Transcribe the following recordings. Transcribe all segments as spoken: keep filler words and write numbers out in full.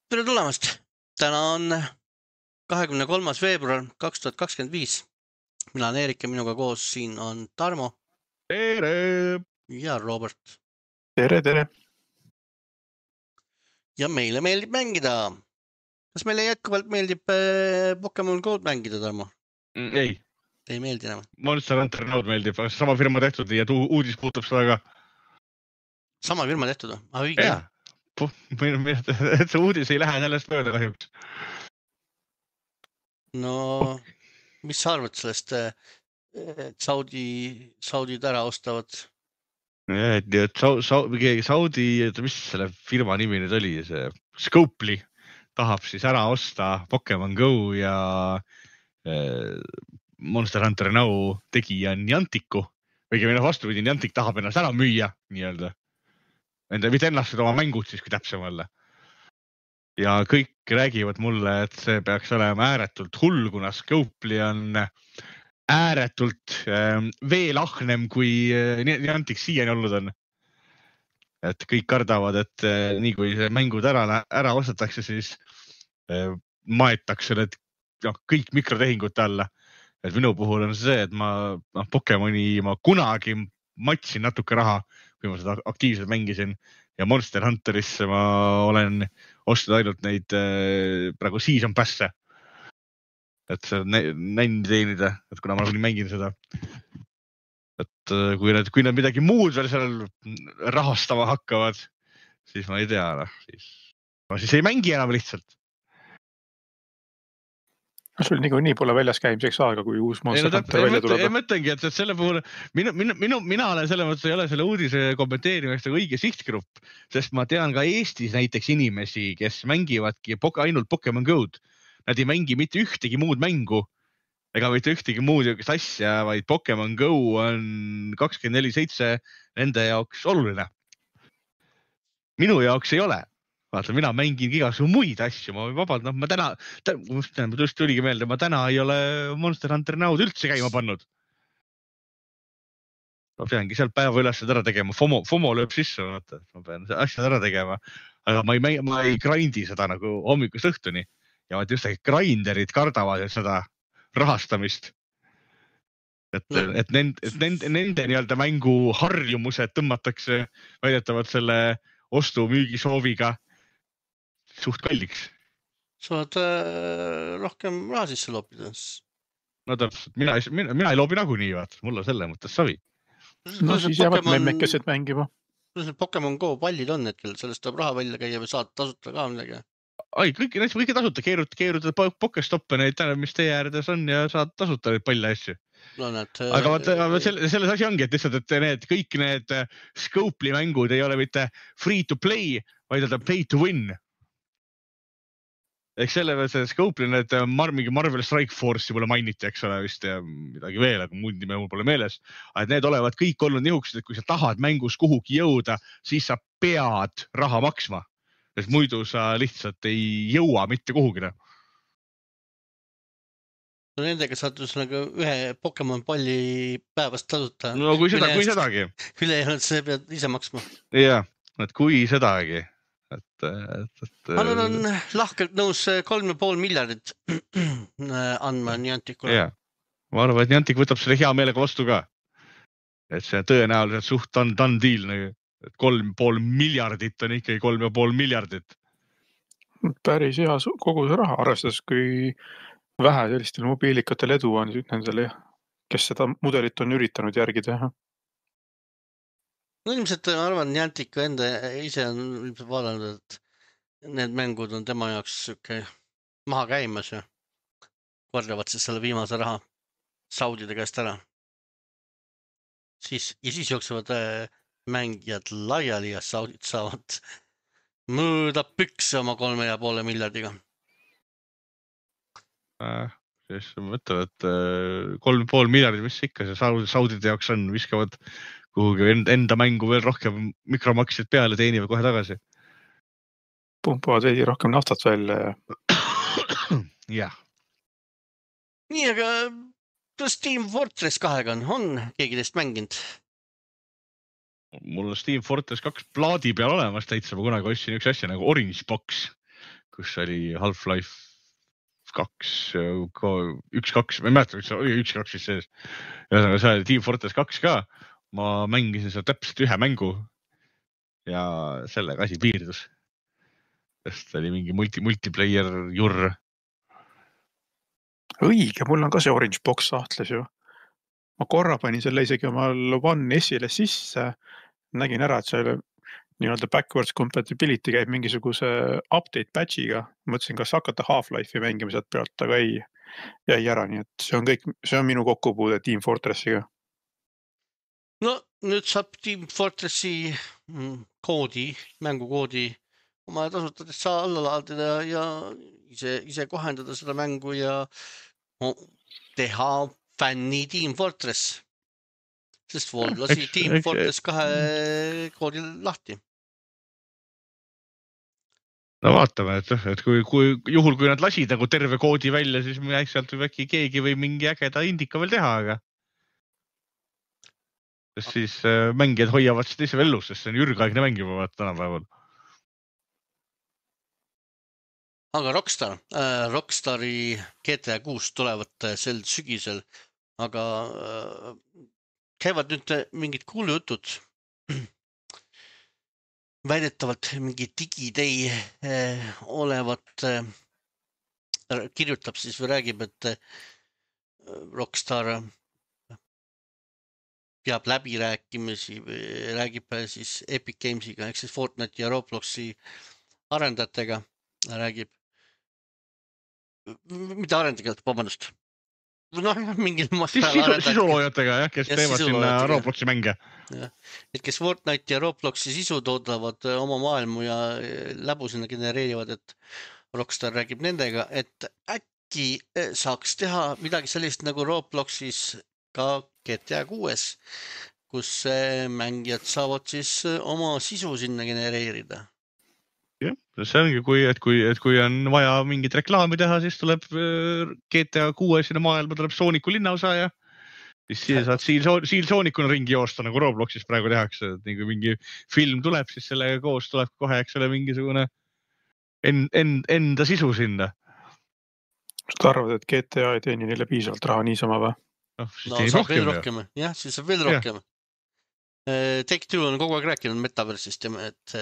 Tere tulemast! Täna on kahekümne kolmas veebruar kaks tuhat kakskümmend viis. Mina olen Eerik ja minuga koos siin on Tarmo Tere! ja Robert. Tere, tere! Ja meile meeldib mängida. Kas meile jätkuvalt meeldib äh, Pokemon Go mängida, Tarmo? Mm, ei. Ei meeldi enam. Monster Hunter Node meeldib, sama firma tehtud ja tuu uudis puutub seda ka. Sama firma tehtud või? Ah, õige. Jaa. Puh, et see uudis ei lähe sellest mööda kahjuks. No, mis sa arvad sellest, et Saudi, Saudid ära ostavad? Ja, et, et Saudi, Saudi, mis selle firma nimi nüüd oli, see Scopely tahab siis ära osta Pokemon Go ja äh, Monster Hunter Now tegija Nianticu. Või minu vastupidi, Niantic tahab ennast ära müüa, nii-öelda. Enda, mitte ennast oma mängud siis, kui täpsem olla. Ja kõik räägivad mulle, et see peaks olema ääretult hull, kuna Scopely on ääretult äh, veel ahnem, kui äh, Niantic siiani olnud on. Et kõik kardavad, et äh, nii kui mängud ära, ära ostetakse, siis äh, maetakse need no, kõik mikrotehingute alla. Et minu puhul on see, et ma no, Pokemoni ma kunagi matsin natuke raha, kui ma seda aktiivselt mängisin ja Monster Hunterisse ma olen ostnud ainult neid äh, praegu season pass'e. Et see nänni teenida, et kuna ma nagunii mängin seda. Et äh, kui nad, kui nad midagi muud veel seal rahastama hakkavad, siis ma ei tea, no, siis, ma siis ei mängi enam lihtsalt. Sul nigu nii pole väljas käimiseks aega, kui uus Monster Hunter välja tuleb. Ei mõtlengi, et selle puhul, minu, minu, minu, mina olen selle mõttes, ei ole selle uudise kommenteerimist õige sihtgrupp, sest ma tean ka Eestis näiteks inimesi, kes mängivadki ainult Pokemon Go'd. Nad ei mängi mitte ühtegi muud mängu ega mitte ühtegi muud asja, vaid Pokemon Go on kakskümmend neli seitse nende jaoks oluline. Minu jaoks ei ole. Vaata, mina mängin igasugune muid asju, ma vabalt, no ma täna, täna, täna tõesti oligi meelde, ma täna ei ole Monster Hunter Now'd üldse käima pannud. Ma peangi sealt päeva üles ära tegema, FOMO, FOMO lööb sisse, vaata, ma pean asjad ära tegema, aga ma ei, ma ei grindi seda nagu hommikust õhtuni ja vaat just grinderid kardavad seda rahastamist. Et, no. et, nend, et nende, nende nii-öelda mängu harjumused tõmmatakse väidetavalt selle ostu müügi sooviga suht kalliks. Sa oled äh, rohkem raha sisse loopida. No täpselt, mina, mina, mina ei loobi nagunii, vaat, mulle selle mõttes savi. No siis jäävad memmekesed mängima. Kuidas need Pokemon Go pallid on hetkel, sellest tuleb raha välja käia või saad tasuta ka midagi? Ai, kõik, kõik tasuta, keerutad, keerutad Pokestoppe neid, mis teie äärdes on ja saad tasuta neid palle asju. No, need, aga vaata, selles, selles asi ongi, et lihtsalt, et need, kõik need Scopely mängud ei ole mitte free to play, vaid on pay to win. Ehk selle see Scopely need Mar mingi Marvel Strike Force'i pole mainiti, eks ole vist ja midagi veel, aga muud nime mul pole meeles. Et need olevat kõik olnud nihukesed, et kui sa tahad mängus kuhugi jõuda, siis sa pead raha maksma. Sest muidu sa lihtsalt ei jõua mitte kuhugina. No nendega saad nagu ühe Pokemon palli päevast tasuta. No kui, seda, kui sedagi. Üle ei olnud, see pead ise maksma. Jah, et kui sedagi. Et, et, et, ma olen lahkelt nõus kolm ja pool miljardit andma Nianticule. Jah, ma arvan, et Niantic võtab selle hea meelega vastu ka. Et see tõenäoliselt suht on done deal, et kolm ja pool miljardit on ikkagi kolm ja pool miljardit. Päris hea kogu see raha, arvestades kui vähe sellistel mobiilikatel edu on nendele, kes seda mudelit on üritanud järgida. No ilmselt ma arvan, Niantic enda ise on vaadanud, et need mängud on tema jaoks okay, maha käimas ja korjavad siis selle viimase raha Saudide käest ära. Siis, ja siis jooksevad mängijad laiali ja Saudid saavad mõõda pükse oma kolme ja poole miljardiga. Äh, siis ma mõtlen, et kolm ja pool miljardit, mis ikka see Saudide jaoks on, viskavad kuhugi enda mängu veel rohkem mikromaksid peale, teenivad kohe tagasi. Pumpavad veidi rohkem naftat välja. Jah. Nii, aga kas Team Fortress kahega on, on keegi teist mänginud? Mul on Team Fortress kaks plaadi peal olemas täitsa, ma kunagi ostsin üks asja nagu Orange Box. kus oli Half-Life kaks, üks, kaks, ma ei mäleta, üks, üks, kaks siis sees. Ühesõnaga, see oli Team Fortress kaks ka. Ma mängisin seal täpselt ühe mängu ja sellega asi piirdus. Sest oli mingi multi, multiplayer jurr. Õige, mul on ka see Orange Box sahtles ju. Ma korra panin selle isegi omal One S-ile sisse. Nägin ära, et see nii-öelda backwards compatibility käib mingisuguse update patchiga. Mõtlesin, kas hakata Half-Life'i mängimised pealt, aga ei jäi ära. Nii et see on kõik, see on minu kokkupuude Team Fortressiga. No nüüd saab Team Fortressi koodi, mängukoodi oma tasutades saa alla laadida ja ise, ise kohendada seda mängu ja teha fänni Team Fortress. Sest Valve lasi Team Fortress kahe koodi lahti. No vaatame, et, et kui, kui juhul, kui nad lasid nagu terve koodi välja, siis sealt võib äkki keegi või mingi ägeda indika veel teha, aga sest siis äh, mängijad hoiavad seda ise vellus, sest see on ürgaegne mäng juba vaata tänapäeval. Aga Rockstar, äh, Rockstari G T A kuus tulevad sel sügisel, aga äh, käivad nüüd mingid kuulujutud. Väidetavalt mingi digidei eh, olevat eh, kirjutab siis või räägib, et eh, Rockstar peab läbirääkimisi või räägib siis Epic Gamesiga ehk siis Fortnite ja Robloxi arendajatega räägib. Mida arendajad, vabandust? No, mingil sisu, sisuloojatega, jah, kes ja teevad sinna Robloxi mänge. Ja. Et kes Fortnite ja Robloxi sisu toodavad oma maailmu ja läbu sinna genereerivad, et Rockstar räägib nendega, et äkki saaks teha midagi sellist nagu Robloxis ka G T A kuues, kus mängijad saavad siis oma sisu sinna genereerida. Jah, see ongi, kui, et, kui, et kui on vaja mingit reklaami teha, siis tuleb G T A kuues sinna maailma, tuleb Sooniku linnaosa ja siis siia saad siil Soonikuna ringi joosta, nagu Robloxis praegu tehakse. Et nii kui mingi film tuleb, siis sellega koos tuleb kohe, eks ole, mingisugune en, en, enda sisu sinna. Kas ta arvad, et G T A ei teeni neile piisavalt raha niisama või? No, no saab rohkem, veel rohkem. Jah, siis saab veel rohkem. Take-Two on kogu aeg rääkinud metaversist ja, et,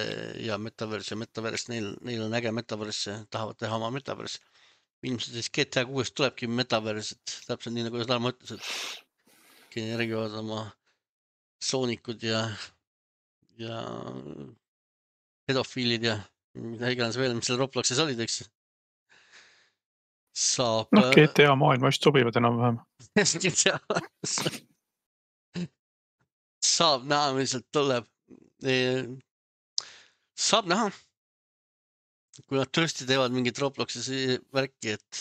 ja metaverse ja metaverse, neil, neil on äge metaverse, tahavad teha oma metaverse. Ilmselt siis G T A kuues tulebki metaverse, et täpselt nii nagu Tarmo ütles, et genereerivad oma soonikud ja, ja pedofiilid ja mida iganes veel, mis seal Robloxis olid, eks. Saab... No G T A maailma just sobivad enam vähem. Saab näha, mis sealt tuleb. Saab näha, kui nad tõesti teevad mingit Robloxis värki, et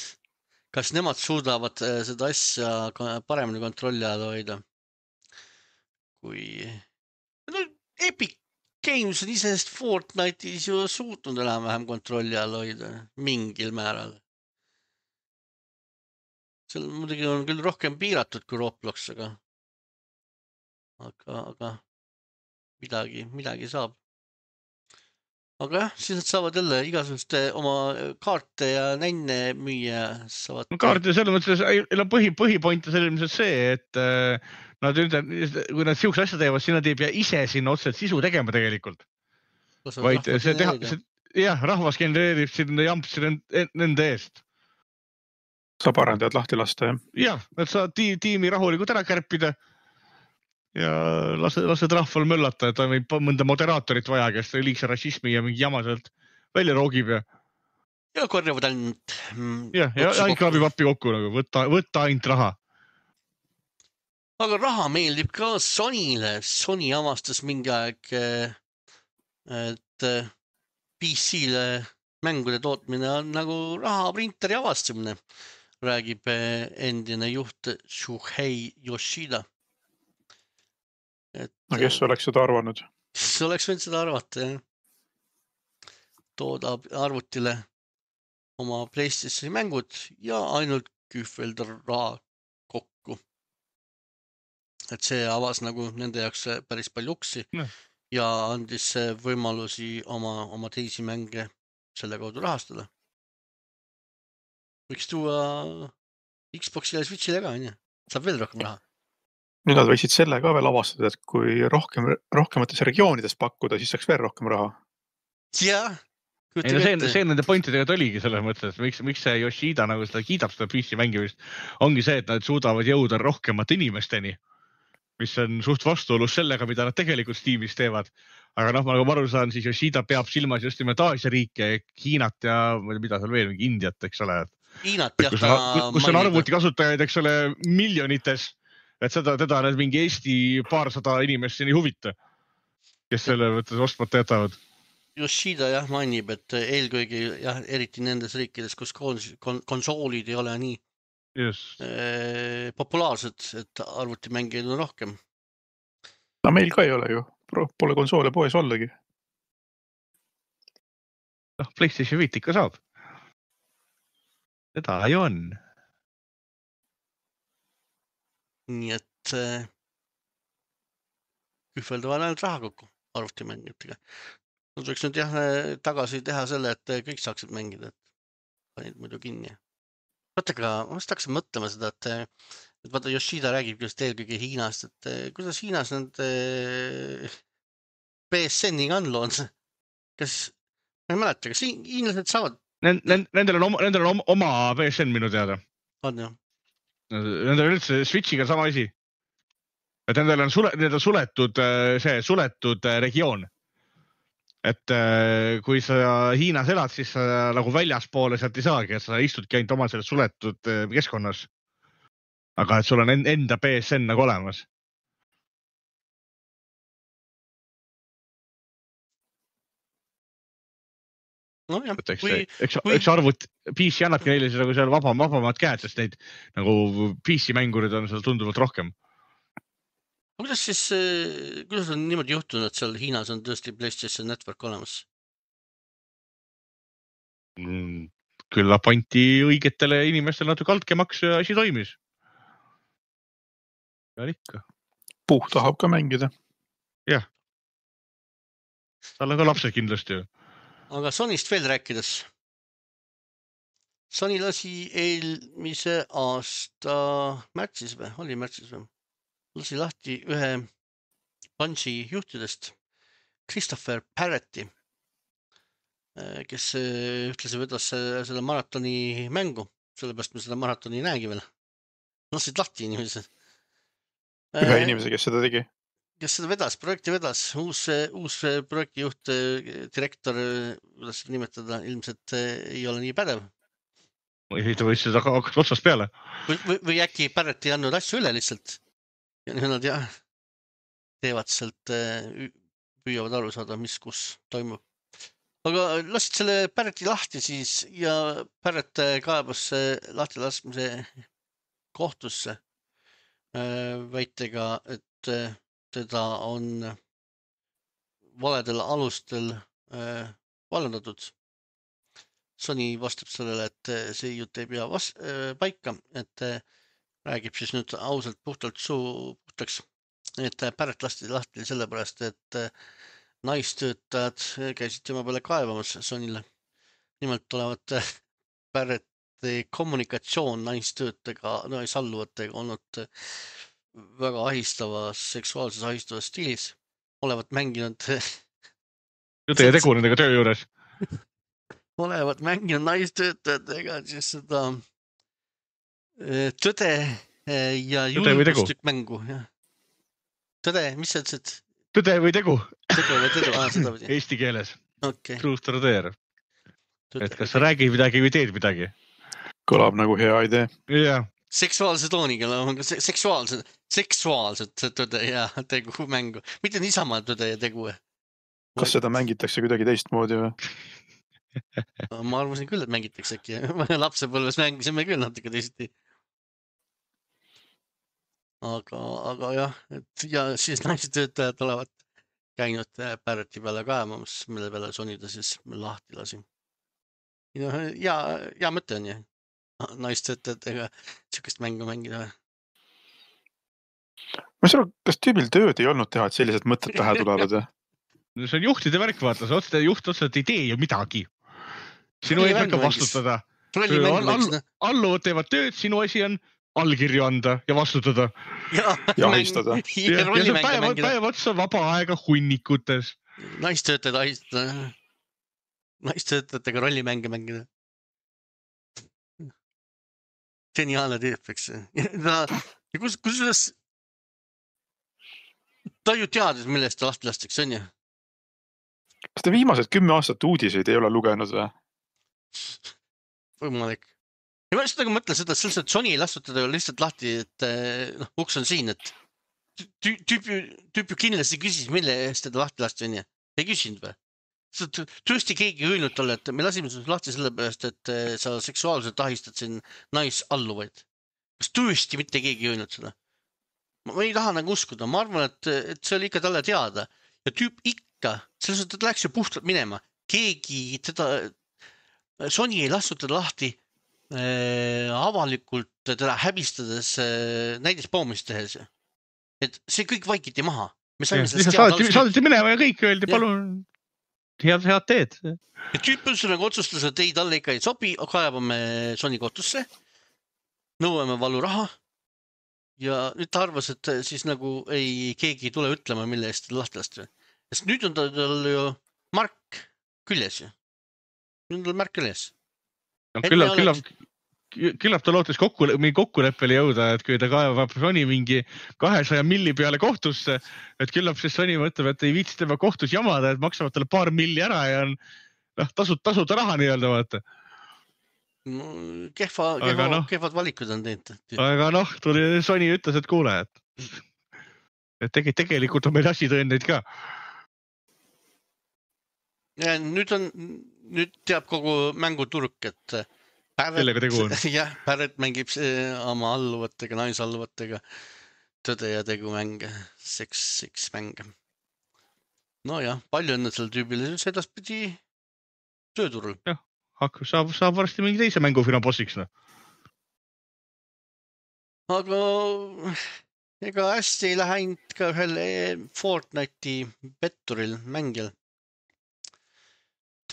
kas nemad suudavad seda asja paremini kontrolli all hoida. Kui no, Epic Games on isest Fortnite'is ju suutnud enam-vähem kontrolli all hoida mingil määral. Seal muidugi on küll rohkem piiratud kui Roblox, aga aga, aga midagi, midagi saab. Aga jah, siis nad saavad jälle igasuguste oma kaarte ja nänne müüa saavad. No kaarte selles mõttes, et põhi, põhipoint on selliselt see, et nad üldse, kui nad siukse asja teevad, siis nad ei pea ise sinna otseselt sisu tegema tegelikult. Vaid see teha, see, jah, rahvas genereerib sinna jampsi nende eest. Saab arendajad lahti lasta, jah? Jah, nad saavad tiimi rahulikult ära kärpida ja lased, lased rahval möllata, et on mõnda moderaatorit vaja, kes liigse rassismi ja mingi jama sealt välja roogib ja ja korjavad ainult ja, ja ainult krabib appi kokku, nagu võtta, võtta ainult raha. Aga raha meeldib ka Sonyle. Sony avastas mingi aeg, et P C-le mängude tootmine on nagu rahaprinteri avastamine, räägib endine juht Shuhei Yoshida. Et, no kes oleks seda arvanud? Kes oleks võinud seda arvata, jah. Tooda arvutile oma PlayStationi mängud ja ainult kühvelda raha kokku. Et see avas nagu nende jaoks päris palju uksi no. Ja andis võimalusi oma, oma teisi mänge selle kaudu rahastada. võiks tuua Xboxile ja Switchile ka, onju. Saab veel rohkem raha. Nüüd nad võiksid selle ka veel avastada, et kui rohkem, rohkemates regioonides pakkuda, siis saaks veel rohkem raha. Jah. Ei, no see, see nende pointidega oligi selles mõttes, miks, miks see Yoshida nagu seda kiidab seda P C mängimist, ongi see, et nad suudavad jõuda rohkemate inimesteni, mis on suht vastuolus sellega, mida nad tegelikult Steamis teevad. Aga noh, ma nagu aru saan, siis Yoshida peab silmas just nimelt Aasia riike, Hiinat ja mida seal veel, mingi Indiat, eks ole. Hiinat, jah. Kus on, kus on arvuti kasutajaid, eks ole, miljonites, et seda, teda need mingi Eesti paarsada inimest siin ei huvita, kes selle võttes ostmata jätavad. Yoshida jah mainib, et eelkõige jah, eriti nendes riikides, kus konsoolid ei ole nii yes. eh, populaarsed, et arvutimängijaid on rohkem. No meil ka ei ole ju, pole konsoole poes ollagi. noh, PlayStation viis ikka saab. Seda ju on. Nii et eh, kühveldavad ainult raha kokku arvutimängijatega. Nad võiks nüüd jah tagasi teha selle, et kõik saaksid mängida, et panid muidu kinni. Vaatega, ma vast hakkasin mõtlema seda, et, et vaata Yoshida räägib just eelkõige Hiinast, et kuidas Hiinas need P S N-iga on lood? Kas, ma ei mäleta, kas hiinlased saavad? Nendel on oma, nendel on oma P S N minu teada. On ju? Nendel on üldse Switchiga sama asi. Et nendel on, sule, nendel on suletud, see suletud regioon. Et kui sa Hiinas elad, siis sa nagu väljaspoole sealt ei saagi, et sa istudki ainult oma selles suletud keskkonnas. Aga et sul on enda P S N nagu olemas. No jah, et eks, kui, eks, kui... eks arvut P C annabki neile nagu seal vabam, vabamad käed, sest neid nagu P C mängurid on seal tunduvalt rohkem. Kuidas siis, kuidas on niimoodi juhtunud, et seal Hiinas on tõesti PlayStation Network olemas? Küll apanti õigetele inimestele natuke altkämaks ja asi toimis. Ja ikka. Puh tahab ka mängida. Jah. Tal on ka lapsed kindlasti ju. Aga Sonyst veel rääkides. Sony lasi eelmise aasta märtsis või? Oli märtsis või? Lasi lahti ühe Bungie juhtidest, Christopher Parretti, kes ühtlasi vedas selle maratoni mängu, sellepärast me seda maratoni ei näegi veel. Lasid lahti inimesed. Ühe inimese, kes seda tegi? Kes seda vedas, projekti vedas, uus, uus projektijuht, direktor, kuidas seda nimetada, ilmselt ei ole nii pädev. Või ta võis seda hakata otsast peale. Või, või, või äkki Parrett ei andnud asju üle lihtsalt. Ja nüüd nad jah, teevad sealt, püüavad aru saada, mis kus toimub. Aga lasid selle Parretti lahti siis ja Parrett kaebas lahti laskmise kohtusse väitega, et teda on valedel alustel vallandatud. Sony vastab sellele, et see jutt ei pea vast, paika, et räägib siis nüüd ausalt puhtalt suu puhtaks, et Parrett lasti lahti sellepärast, et naistöötajad käisid tema peale kaevamas Sonyle. Nimelt olevat Parretti kommunikatsioon naistöötajaga, naisalluvotega olnud väga ahistavas, seksuaalses ahistavas stiilis. Olevat mänginud... Jutu ja tegu nendega töö juures. Olevat mänginud naistöötajatega siis seda... Tõde ja julgustük mängu. Ja. Tõde, mis sa ütlesid? Tõde või tegu? Tõde või tegu, ah, seda või? Eesti keeles. Okay. Truth or dare. Et kas sa räägid midagi või teed midagi? Kõlab nagu hea idee. Yeah. Seksuaalse tooniga, seksuaalsed, seksuaalsed tõde ja tegu mängu. Mitte niisama tõde ja tegu. Kas seda mängitakse kuidagi teistmoodi või? Ma arvasin küll, et mängitakse äkki. Lapsepõlves mängisime küll natuke teisiti. Aga, aga jah, et ja siis naistöötajad olevat käinud Parretti peale kaemamas, mille peale Sony ta siis lahti lasi. Ja, ja mõte on ju, naistöötajatega sihukest mängu mängida. Ma ei saa, kas tüübil tööd ei olnud teha, et sellised mõtted pähe tulevad? No see on juhtide värk, vaata, see otsa, juht otsa, et ei tee ju midagi. Sinu eesmärk on vastutada. Rollimängu all, all, alluvad teevad tööd, sinu asi on allkirju anda ja vastutada. Ja, ja ahistada. Ja, ja see päev, päev otsa vaba aega hunnikutes. Naistöötajad ahistada. Naistöötajatega rollimänge mängida. Geniaalne tüüp, eks. Ta, kus, kus ta ju teadis, millest ta lahti lastakse, on ju? Kas te viimased kümme aastat uudiseid ei ole lugenud või? Võimalik. Ja ma seda mõtlen seda, et sellised Sony ei lastud teda lihtsalt lahti, et no, uks on siin, et tüüp ju, tüüp ju kindlasti küsis, mille eest teda lahti lasti, on ju? Ei küsinud või? Tõesti keegi öelnud talle, et me lasime sinust lahti selle pärast, et sa seksuaalselt ahistad siin naisalluvaid. Kas tõesti mitte keegi öelnud seda? Ma ei taha nagu uskuda. Ma arvan, et, et see oli ikka talle teada. Ja tüüp ikka, selles mõttes, et läks ju puhtalt minema. Keegi teda, Sony ei lastud teda lahti äh, avalikult teda häbistades äh, näidis poomist tehes. Et see kõik vaikiti maha. Me saime ja, saadeti, saadeti minema ja kõik öeldi, ja. Palun head, head teed. Ja tüüp nagu otsustas, et ei, talle ikka ei sobi, kaevame Sony kohtusse, nõuame valuraha ja nüüd ta arvas, et siis nagu ei, keegi ei tule ütlema, mille eest lahti lasti. Sest nüüd on tal ju mark küljes ju. Nüüd on tal märk küljes. No, küllab, oleks... küllab, küllab ta lootes kokku, mingi kokkuleppele jõuda, et kui ta kaevab Sony mingi kahesaja milli peale kohtusse, et küllab siis Sony mõtleb, et ei viitsi tema kohtus jamada, et maksavad talle paar milli ära ja on noh, tasud, tasuta raha nii-öelda vaata. No, kehva, kehva, no, kehvad valikud on teinud. Aga noh, tuli Sony ütles, et kuule, et, et tegi, tegelikult on meil asi tõendeid ka. Ja nüüd on, nüüd teab kogu mänguturg, et Barrett, jah, Barrett mängib oma alluvatega, naisalluvatega tõde ja tegu mänge, seks, seks mänge. No jah, palju õnne selle tüübile, see edaspidi tööturul. Jah, hakkab, saab, saab varsti mingi teise mängufirma bossiks. No. Aga ega hästi ei lähe ka ühel Fortnite'i petturil mängil.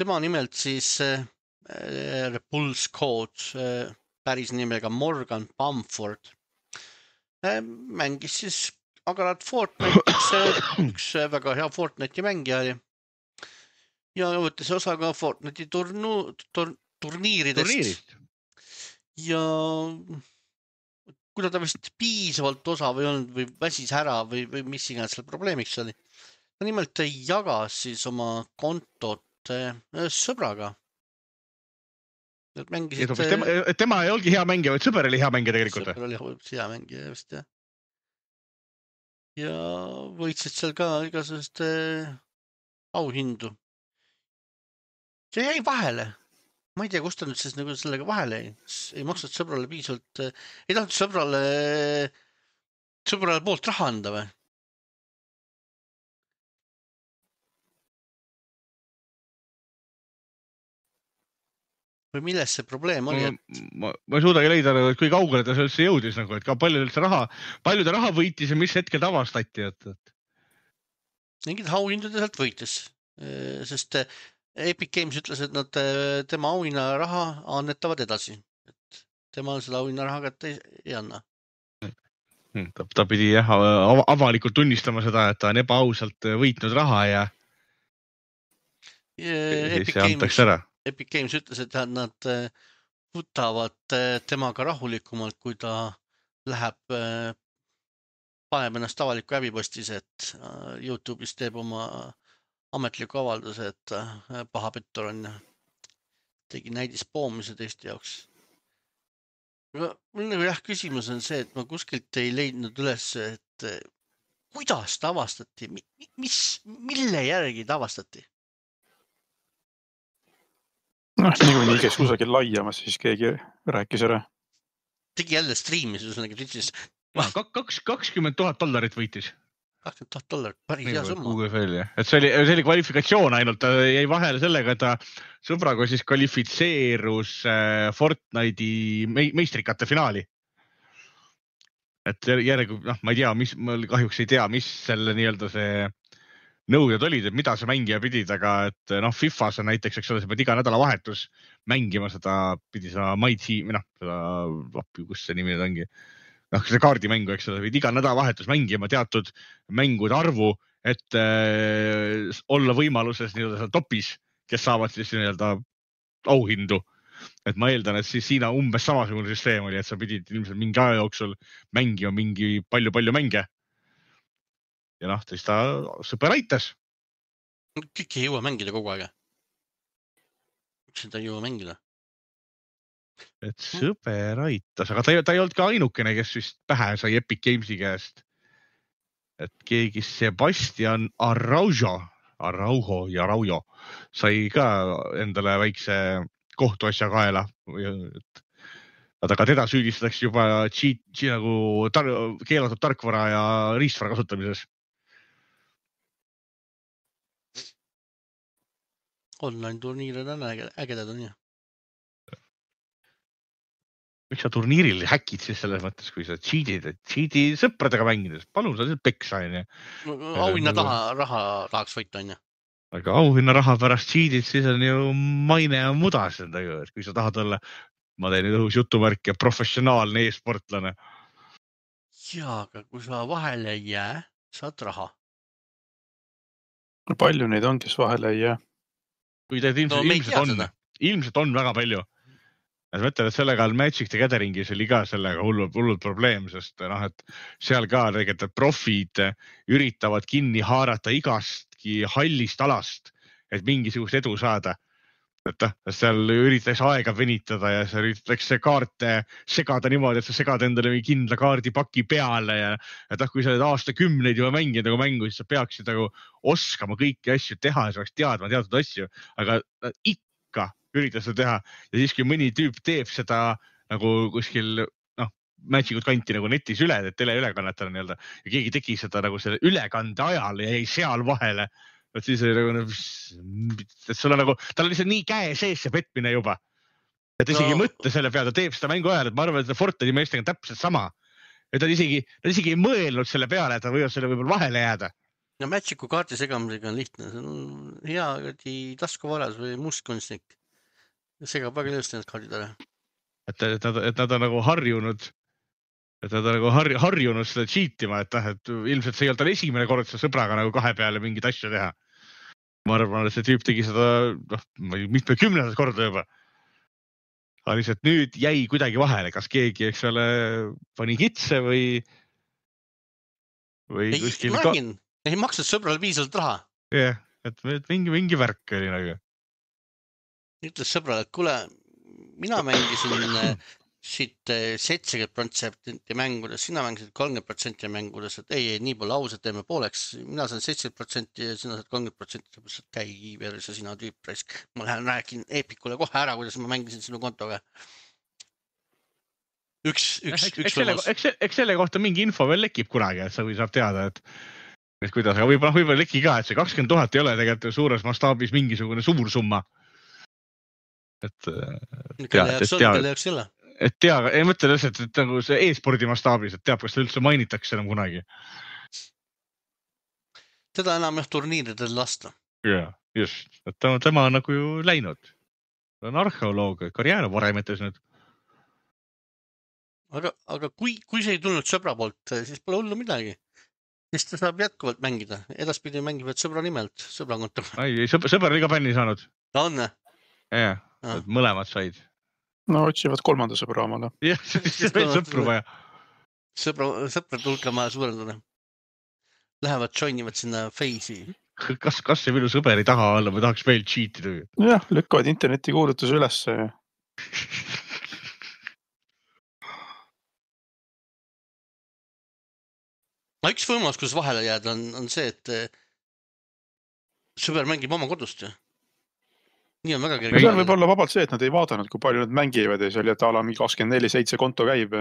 Tema nimelt siis Repulse Code, päris nimega Morgan Bamford, mängis siis agarad Fortnite'is, üks väga hea Fortnite'i mängija oli ja võttis osa ka Fortnite'i turnu, tur, turniiridest. Turniirist. Ja kuna ta vist piisavalt osav ei olnud või väsis ära või, või mis iganes seal probleemiks oli, ta nimelt jagas siis oma kontot sõbraga. Mängisid... Tema, tema ei olgi hea mängija, vaid sõber oli hea mängija tegelikult. Sõber oli hea mängija, just jah. Ja võitsid seal ka igasugust auhindu. See jäi vahele. Ma ei tea, kust ta nüüd siis nagu sellega vahele ei, ei maksnud sõbrale piisavalt, ei tahtnud sõbrale, sõbrale poolt raha anda või? Või milles see probleem oli? Et... Ma, ma ei suudagi leida, et kui kaugele ta sellesse jõudis, nagu, et ka palju, raha, palju ta raha võitis ja mis hetkel ta avastati. Et, et... Mingid auhindu ta sealt võitis, sest Epic Games ütles, et nad tema auhinna raha annetavad edasi. Et tema selle auhinna raha kätte ei, ei anna. Ta, ta pidi jah, avalikult tunnistama seda, et ta on ebaausalt võitnud raha ja, ja siis see antaks ära. Epic Games ütles, et nad võtavad temaga rahulikumalt, kui ta läheb, paneb ennast avaliku häbipostis, et YouTube'is teeb oma ametliku avalduse, et paha pettur on ja tegi näidispoomise teiste jaoks. Mul nagu jah, küsimus on see, et ma kuskilt ei leidnud üles, et kuidas ta avastati, mis, mille järgi ta avastati? Noh, niikuinii kes kusagil laiamas, siis keegi rääkis ära. Tegi jälle striimis, üsnagi Twitchis. Kaks, kakskümmend tuhat dollarit võitis. kakskümmend tuhat dollarit, päris hea summa. Et see oli, see oli kvalifikatsioon ainult, ta jäi vahele sellega, et ta sõbraga siis kvalifitseerus Fortnite'i meistrikate finaali. Et järgi, noh, ma ei tea, mis, ma kahjuks ei tea, mis selle nii-öelda see nõuded olid, et mida sa mängija pidid, aga et noh, Fifas on näiteks, eks ole, sa pead iga nädalavahetus mängima seda, pidi seda My Team, või noh, seda, appi, kus see nimi nüüd ongi. noh, see kaardimängu, eks ole, võid iga nädalavahetus mängima teatud mängude arvu, et äh, olla võimaluses nii-öelda seal topis, kes saavad siis nii-öelda auhindu. Et ma eeldan, et siis siin umbes samasugune süsteem oli, et sa pidid ilmselt mingi aja jooksul mängima mingi palju-palju mänge. Ja noh, siis ta sõber aitas. Kõik ei jõua mängida kogu aega. Miks seda ei jõua mängida? Et sõber aitas, aga ta, ta ei olnud ka ainukene, kes vist pähe sai Epic Gamesi käest. Et keegi Sebastian Araujo, Araujo ja Araujo sai ka endale väikse kohtuasja kaela. Aga teda süüdistatakse juba cheat, nagu tar, keelatud tarkvara ja riistvara kasutamises. Online turniirid on ägedad on ju. Miks sa turniiril häkid siis selles mõttes, kui sa cheatid, et cheati sõpradega mängides, palun sa siis peksa on ju. Auhinna taha, raha tahaks võita on ju. Aga auhinna raha pärast cheatid, siis on ju maine ja mudas endaga, et kui sa tahad olla, ma teen nüüd õhus jutumärk ja professionaalne e-sportlane. Jaa, aga kui sa vahele ei jää, saad raha. Palju neid on, kes vahele ei jää? Kui teed ilmselt, no, ilmselt, on, ilmselt on väga palju. Ja ma ütlen, et sellega Magic the Gatheringis oli ka sellega hullult, hullult probleem, sest noh, et seal ka tegelikult profid üritavad kinni haarata igastki hallist alast, et mingisugust edu saada. Et seal üritatakse aega venitada ja seal üritatakse kaarte segada niimoodi, et sa segad endale kindla kaardipaki peale ja et kui sa oled aastakümneid juba mänginud nagu mängu, siis sa peaksid nagu oskama kõiki asju teha ja sa peaks teadma teatud asju, aga ikka üritas seda teha ja siis, kui mõni tüüp teeb seda nagu kuskil noh, Magicut kanti nagu netis üle, et teleülekannetele nii-öelda ja keegi tegi seda nagu selle ülekande ajal ja jäi seal vahele. Et siis oli nagu, et sul on nagu, tal on lihtsalt nii käe sees see petmine juba. Et isegi no. Mõtte selle peale, ta teeb seda mängu ajal, et ma arvan, et Fortnite'i meestega on täpselt sama. Et ta isegi, ta isegi ei mõelnud selle peale, et ta võivad selle võib-olla vahele jääda. No Magicu kaarti segamisega on lihtne. See on hea taskuvaras või mustkunstnik. Segab väga ilusti need kaardid ära. Et, et, nad, et nad on nagu harjunud, et nad on nagu har, harjunud seda cheatima, et, et ilmselt see ei olnud tal esimene kord seda sõbraga nagu kahe peale mingit asja teha. Ma arvan, et see tüüp tegi seda noh, mitme kümnendat korda juba. Aga lihtsalt nüüd jäi kuidagi vahele, kas keegi, eks ole, pani kitse või või ei, kuskil ka... ei maksnud sõbrale piisavalt raha. Jah, yeah, et mingi, mingi värk oli nagu. Ütles sõbrale, et kuule, mina mängisin siit seitsekümmend protsenti mängudes, sina mängisid kolmkümmend protsenti mängudes, et ei, ei, nii pole ausalt, teeme pooleks. Mina saan seitsekümmend protsenti ja sina saad kolmkümmend protsenti, et käi iiveris ja sina tüüp. Ma lähen räägin Epicule kohe ära, kuidas ma mängisin sinu kontoga. Üks, üks, eks, üks eks, selle, eks, eks selle kohta mingi info veel lekib kunagi, et sa või saab teada, et, et kuidas, aga võib-olla võib leki ka, et see kakskümmend tuhat ei ole tegelikult suures mastaabis mingisugune suur summa. Et, kelle jaoks on, kelle jaoks ei ole. Et tea, ei mõtle lihtsalt, et nagu see e-spordi mastaabis, et teab, kas ta üldse mainitakse enam kunagi. Teda enam jah turniiridel lasta. Ja, just. Et tema, tema on nagu ju läinud. Ta on arheoloog, karjäär varemetes nüüd. Aga, aga kui, kui see ei tulnud sõbra poolt, siis pole hullu midagi. Siis ta saab jätkuvalt mängida. Edaspidi mängivad sõbra nimelt, sõbra kontor. Ai, sõber, sõber oli ka bänni saanud. Ta on, ne? Ja, et mõlemad said. No otsivad kolmanda sõbra omale. Jah, see veel sõpru vaja. Sõbra, sõprad hulka maja suurendada. Lähevad, joinivad sinna Face'i. Kas, kas see minu sõber ei taha olla või tahaks veel cheatida? Jah, lükkavad interneti kuulutuse ülesse. No üks võimalus, kus vahele jääda, on, on see, et sõber mängib oma kodust ju. Nii on väga kerge. See võib olla vabalt see, et nad ei vaadanud, kui palju nad mängivad ja see oli, et ala kakskümmend neli seitse konto käib.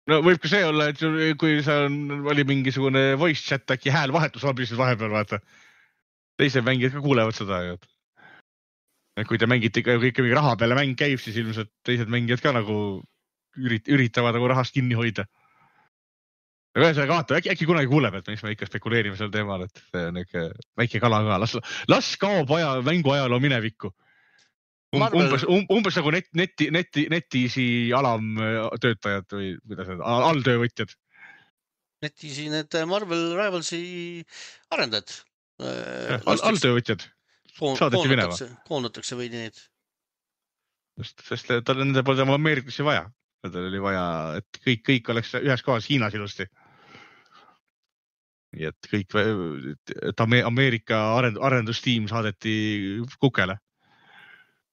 No võib ka see olla, et kui sa oli mingisugune voice chat, äkki hääl vahetus abisid vahepeal, vaata. Teised mängijad ka kuulevad seda. Kui te mängite ikka mingi raha peale mäng käib, siis ilmselt teised mängijad ka nagu ürit, üritavad nagu rahast kinni hoida. aga ühesõnaga vaata, äkki, äkki kunagi kuuleb, et mis me ikka spekuleerime sel teemal, et see on ikka väike kala ka. Las, las kaob aja, mängu ajaloo minevikku. Um, Marvel... umbes, um, umbes nagu net, neti, neti, netisi alamtöötajad või kuidas need, alltöövõtjad. Netisi need Marvel Rivalsi arendajad. All, alltöövõtjad. Saadeti minema. Koondatakse veidi neid. Just, sest tal nende poolt oma Ameerikusse vaja. Tal oli vaja, et kõik, kõik oleks ühes kohas Hiinas ilusti. Nii et kõik, et Ameerika arendustiim saadeti kukele.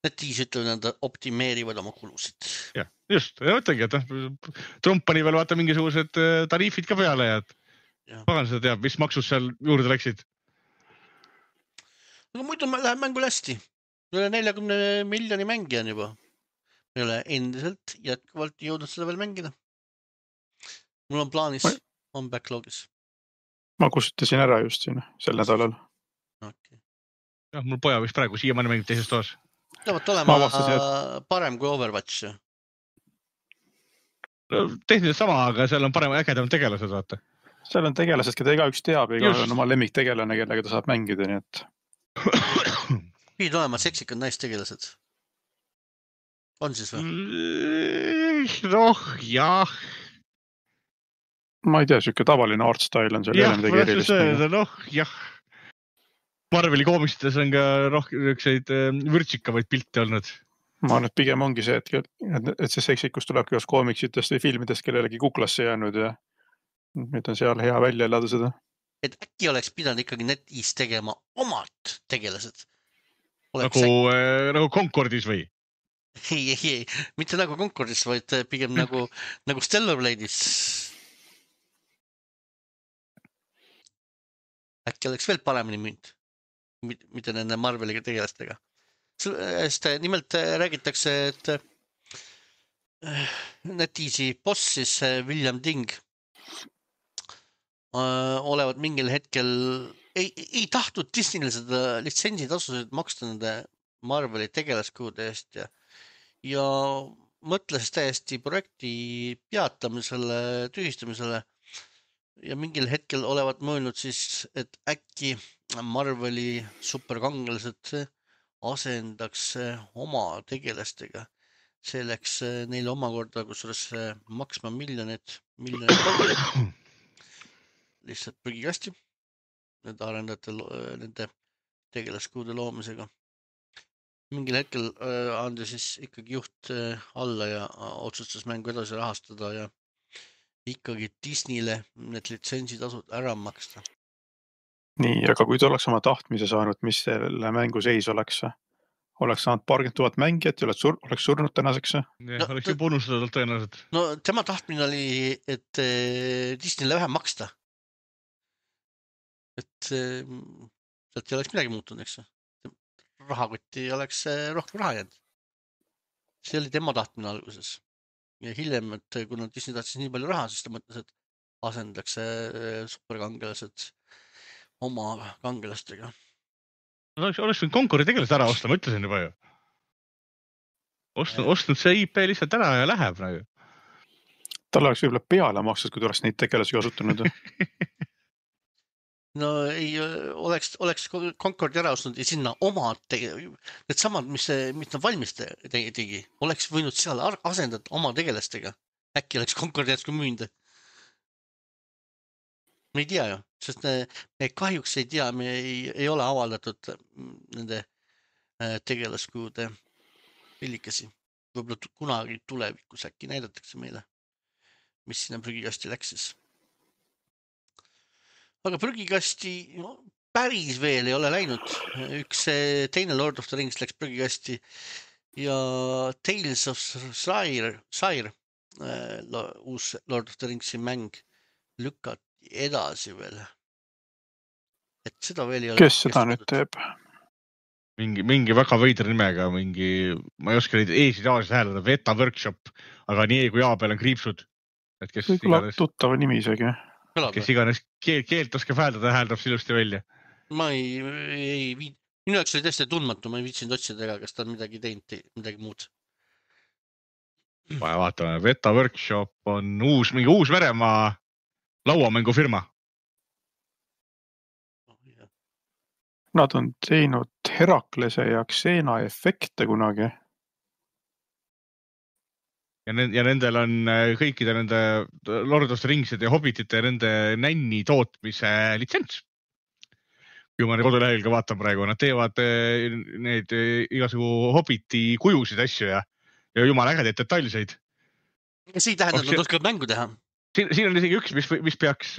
Netis ütlevad, nad optimeerivad oma kulusid. Ja, just. Ja mõtlengi, et Trump pani veel vaata mingisugused tariifid ka peale ja, ja. Pagan seda teab, mis maksus seal juurde läksid. Aga muidu läheb mängul hästi. Üle neljakümne miljoni mängija on juba. Me ei ole endiselt jätkuvalt jõudnud seda veel mängida. Mul on plaanis, ma... on backlogis. Ma kustutasin ära just siin, sel nädalal. Okay. Ja, mul poja vist praegu siiamaani mängib teises toas. Tõevad olema et... parem kui Overwatch. No, tehniliselt sama, aga seal on parem ägedam tegelased, vaata. Seal on tegelased, keda iga üks teab, iga on oma lemmiktegelane, kellega ta saab mängida, nii et... Pidid olema seksikad naistegelased. On siis või? Noh, jah. Ma ei tea, siuke tavaline art style on seal. Jah, ma tahtsin öelda, noh, jah. Marveli koomiksites on ka rohkem ükseid vürtsikavaid pilte olnud. Ma arvan, et pigem ongi see, et, et see seksikus tulebki kas koomiksitest või filmidest kellelegi kuklasse jäänud ja nüüd on seal hea välja elada seda. Et äkki oleks pidanud ikkagi netis tegema omad tegelased. Oleks nagu, äh, nagu Concordis või? Ei, ei, ei. Mitte nagu Concordis, vaid pigem nagu, nagu Stellar Blade'is. Äkki oleks veel paremini müünud, mitte nende Marveliga tegelastega. Sest nimelt räägitakse, et netisi boss siis William Ting olevat mingil hetkel ei, ei tahtnud Disneyle seda litsentsitasusid maksta nende Marveli tegelaskuude eest ja, ja mõtles täiesti projekti peatamisele, tühistamisele ja mingil hetkel olevat mõelnud siis, et äkki Marveli superkangelased asendaks oma tegelastega. See läks neile omakorda, kusjuures maksma miljonid, miljonid dollarid. Lihtsalt prügikasti nende arendajate, nende tegelaskuude loomisega. Mingil hetkel andi siis ikkagi juht alla ja otsustas mängu edasi rahastada ja ikkagi Disneyle need litsentsitasud ära maksta. Nii, aga kui ta oleks oma tahtmise saanud, mis selle mängu seis oleks? Oleks saanud paarkümmend tuhat mängijat ja oleks, sur oleks surnud tänaseks? Ja, no, oleks juba unustatud tõenäoliselt. No tema tahtmine oli, et Disneyle vähem maksta. Et sealt ei oleks midagi muutunud, eks. Rahakotti oleks rohkem raha jäänud. See oli tema tahtmine alguses. Ja hiljem, et kuna Disney tahtis nii palju raha, siis ta mõtles, et asendakse superkangelased oma kangelastega. No, oleks, oleks võinud Concordi tegelased ära osta, ma ütlesin juba ju. Ostnud, ostnud see I P lihtsalt ära ja läheb nagu. Tal oleks võib-olla peale makstud, kui ta oleks neid tegelasi kasutanud. No ei, oleks, oleks Concordi ära ostnud ja sinna omad tege... Need samad, mis, mis nad valmis tegi, oleks võinud seal asendada oma tegelastega. Äkki oleks Concordi jätsku müünda. Me ei tea ju, sest me, me kahjuks ei tea, me ei, ei ole avaldatud nende tegelaskuude pillikesi. Võib-olla kunagi tulevikus äkki näidatakse meile, mis sinna prügikasti läks siis. Aga prügikasti no, päris veel ei ole läinud. Üks teine Lord of the Rings läks prügikasti ja Tales of Sire, Sire uus Lord of the Ringsi mäng lükati edasi veel. Et seda veel ei ole. Kes seda nüüd teeb? Mingi, mingi väga veidra nimega, mingi, ma ei oska neid eesid aasias hääldada, Veta Workshop, aga nii kui A peal on kriipsud. Et kes iganes... tuttava nimi isegi. Kes iganes keel, keelt oskab hääldada, hääldab silusti välja. Ma ei, ei viid... Minu jaoks oli tõesti tundmatu, ma ei viitsinud otsida ega, kas ta on midagi teinud, midagi muud. Vaja vaatame, Veta Workshop on uus, mingi uus Veremaa lauamängufirma. Nad on teinud Heraklese ja Xena efekte kunagi. Ja, ne- ja nendel on kõikide nende Lord of the Ringside ja Hobbitite ja nende nänni tootmise litsents. Kui ma kodulehel ka vaatan praegu, nad teevad need igasugu Hobbiti kujusid asju ja, ja jumala ägedaid detailseid. Ja see ei tähenda, et nad oskavad mängu teha. Siin, siin on isegi üks, mis, mis peaks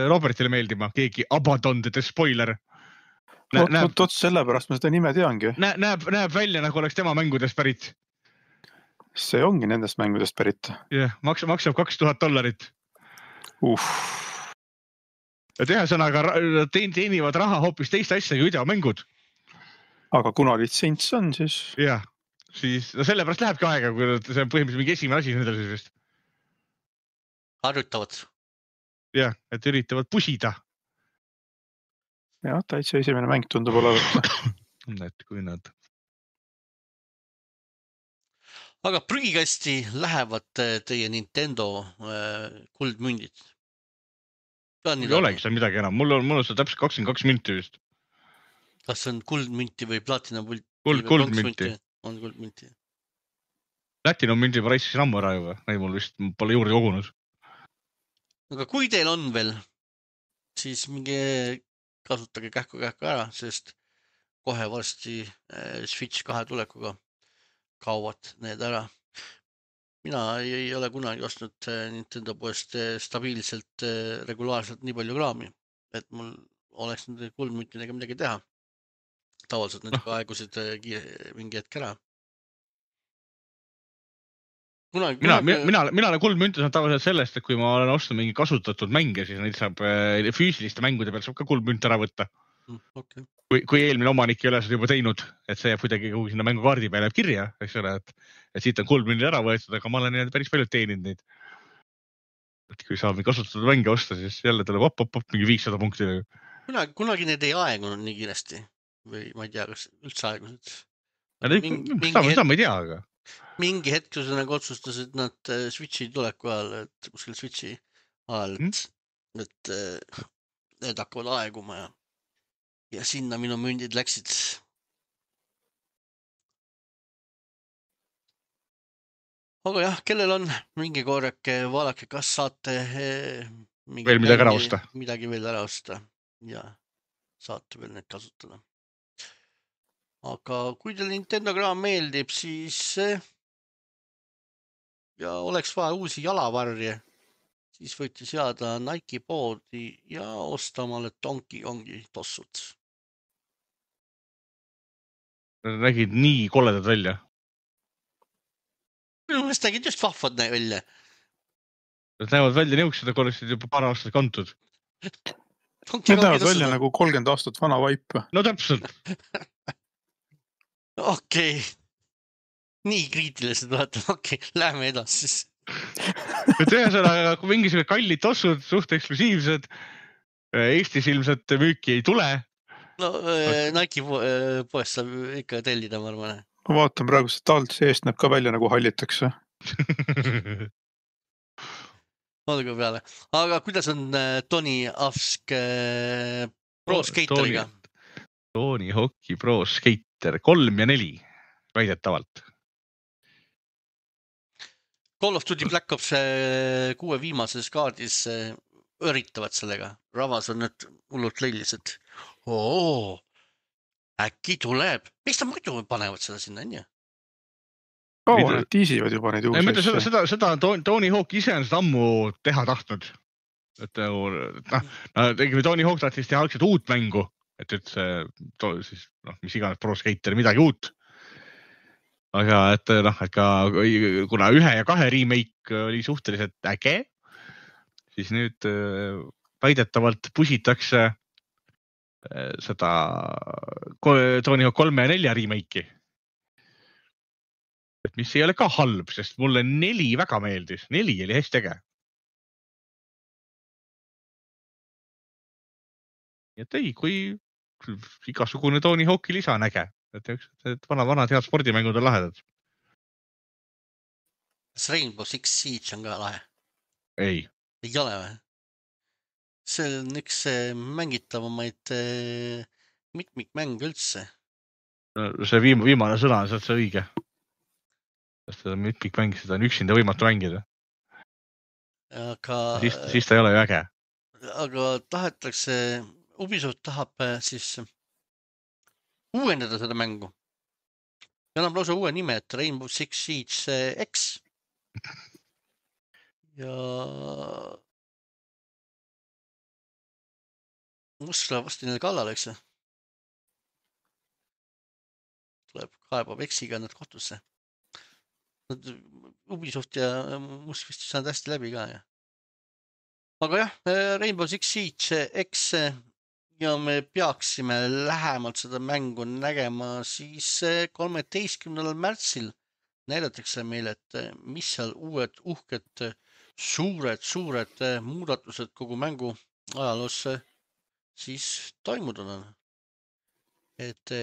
Robertile meeldima, keegi Abaddon the Spoiler. Näeb, näeb, Oot, sellepärast ma seda nime teangi. Näeb, näeb, näeb välja, nagu oleks tema mängudest pärit. See ongi nendest mängudest pärit. Jah, maksab, maksab kaks tuhat dollarit. Uff. Ja teha sõnaga teenivad raha hoopis teist asja kui videomängud. Aga kuna litsents on, siis... Jah, siis no sellepärast lähebki aega, kui see on põhimõtteliselt mingi esimene asi nendel siis vist. Harjutavad. Jah, et üritavad pusida. Jah, täitsa esimene mäng tundub olevat. Et kui nad... Aga prügikasti lähevad teie Nintendo kuldmündid? Ei olegi seal midagi enam. Mul on, mul on seal täpselt kakskümmend kaks minti vist. Kas see on kuldmünti või platinum münti? Kuld, kuldmünti. On kuldmünti. Platinum münti ma raiskasin ammu ära juba. Ei, mul vist pole juurde kogunud. Aga kui teil on veel, siis mingi... kasutage kähku-kähku ära, sest kohe varsti Switch kahe tulekuga kauvad need ära. Mina ei ole kunagi ostnud Nintendo poest stabiilselt, regulaarselt nii palju kraami, et mul oleks nende kuldmüntidega midagi teha. Tavaliselt need aegusid mingi hetk ära. Kunagi, mina, kunagi... mina, mina olen kuldmünti saanud tavaliselt sellest, et kui ma olen ostnud mingi kasutatud mänge, siis neid saab füüsiliste mängude peal saab ka kuldmünt ära võtta. Okay. Kui, kui eelmine omanik ei ole seda juba teinud, et see jääb kuidagi kuhu sinna mängukaardi peale jääb kirja, eks ole, et, et siit on kuldmündid ära võetud, aga ma olen päris palju teeninud neid. Et kui saab kasutatud mänge osta, siis jälle tuleb op, op, op, mingi viissada punkti. Kunagi, kunagi need ei aegunud nii kiiresti või ma ei tea, kas üldse aegunud. Mingi, seda, seda ma ei tea, aga... Mingi hetk, kui sa nagu otsustasid nad Switchi tuleku ajal, et kuskil Switchi ajal, et, mm. et need hakkavad aeguma ja, ja sinna minu mündid läksid. Aga jah, kellel on mingi korrake, vaadake, kas saate mingi veel midagi ära osta. Midagi veel ära osta ja saate veel need kasutada. Aga kui teil Nintendo kraam meeldib, siis ja oleks vaja uusi jalavarje, siis võite seada Nike poodi ja osta omale Donkey Kongi tossud. Nad nägid nii koledad välja. Minu meelest nägid just vahvad välja. Nad näevad välja niuksed, aga oleksid juba paar aastat kantud. Need näevad välja nagu kolmkümmend aastat vana vaip. No täpselt. Okei. Okay. Nii kriitilised vaata, okei, okay, lähme edasi siis. Ühesõnaga, kui mingisugused kallid tossud, suht eksklusiivsed, Eestis ilmselt müüki ei tule. No Nike poest saab ikka tellida, ma arvan. Ma vaatan praegu seda alt seest näeb ka välja nagu hallitakse. Olgu peale. Aga kuidas on Tony Hawk Pro Skateriga? Tony Hawk Pro Skater kolm ja neli väidetavalt. Call of Duty Black Ops kuue viimases kaardis üritavad sellega. Ravas on nüüd hullult leilis, et oo, äkki tuleb. Miks ta muidu panevad seda sinna, on ju? Kaua need tiisivad juba neid uusi asja? Seda, seda Tony Hawk ise on seda ammu teha tahtnud. Et no, tegime Tony Hawk tahtis teha algselt uut mängu, et üldse, siis, noh, mis iganes Pro Skater, midagi uut. Aga et noh, et ka kuna ühe ja kahe remake oli suhteliselt äge, siis nüüd väidetavalt pusitakse seda Tony Hawk kolme ja nelja remake'i. Et mis ei ole ka halb, sest mulle neli väga meeldis. Neli oli hästi äge. Et ei, kui igasugune Tony Hawk'i lisa on äge. Et, et vana, vanad head spordimängud on lahedad. Kas Rainbow Six Siege on ka lahe? Ei. Ei ole või? see on üks mängitavamaid mitmikmäng üldse. See viim, viimane sõna on sealt see õige. Sest seda mitmikmäng, seda on üksinda võimatu mängida. Aga, siis, siis ta ei ole ju äge. Aga tahetakse, Ubisoft tahab siis uuendada seda mängu. Ja annab lausa uue nime, et Rainbow Six Siege X. Ja must läheb vasti neile kallale, eks? Tuleb kaebab X-iga nad kohtusse. Ubisoft ja must vist saanud hästi läbi ka. Ja. Aga jah, Rainbow Six Siege X ja me peaksime lähemalt seda mängu nägema siis kolmeteistkümnendal märtsil näidatakse meile, et mis seal uued uhked suured, suured muudatused kogu mängu ajaloos siis toimunud on. Et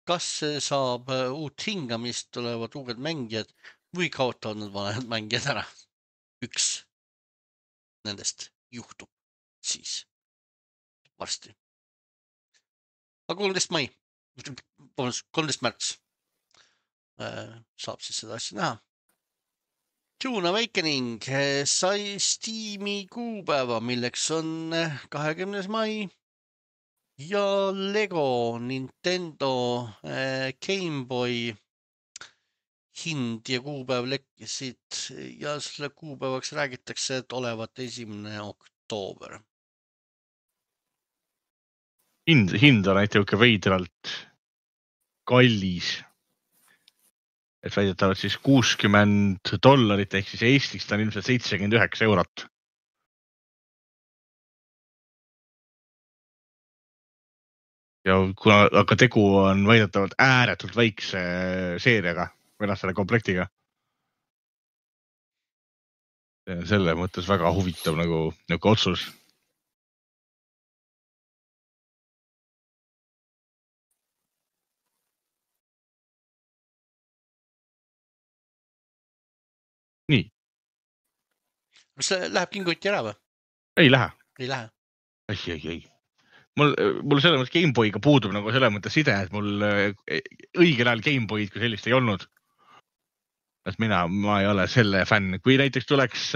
kas saab uut hingamist, tulevad uued mängijad või kaotavad nad vanad mängijad ära. Üks nendest juhtub siis varsti. Aga kolmteist mai, kolmteist märts saab siis seda asja näha. Dune Awakening sai Steam'i kuupäeva, milleks on kahekümnes mai ja Lego Nintendo Game Boy hind ja kuupäev lekkisid ja selle kuupäevaks räägitakse, et olevat esimene oktoober. Hind, hind on näiteks veidralt kallis. Et väidetavad siis kuuskümmend dollarit ehk siis Eestis ta on ilmselt seitsekümmend üheksa eurot. Ja kuna aga tegu on väidetavalt ääretult väikse seeriaga, või selle komplektiga. Selle mõttes väga huvitav nagu, nagu otsus. Nii. Kas see läheb kinguti ära või? Ei lähe. Ei lähe. Ei, ei, ei. Mul, mul selle mõttes Gameboy'ga puudub nagu selle mõttes side, et mul õigel ajal Gameboy'd kui sellist ei olnud. Et mina, ma ei ole selle fänn. Kui näiteks tuleks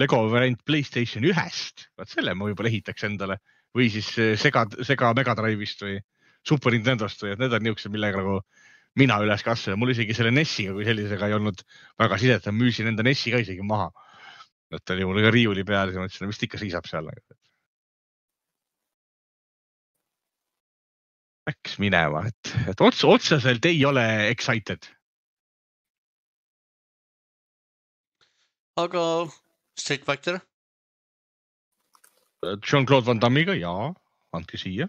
Lego variant PlayStation ühest, vaat selle ma võib-olla ehitaks endale. Või siis Sega, Sega Mega Drive'ist või Super Nintendost või et need on niisugused, millega nagu mina üles kasvada. Mul isegi selle N E S-iga kui sellisega ei olnud väga sidet. Müüsin enda N E S-i ka isegi maha. Et oli mul ka riiuli peal ja mõtlesin, vist ikka siisab seal. Läks minema, et, et ots, otseselt ei ole excited. Aga Street Fighter? Jean-Claude Van Dammiga, jaa, andke siia.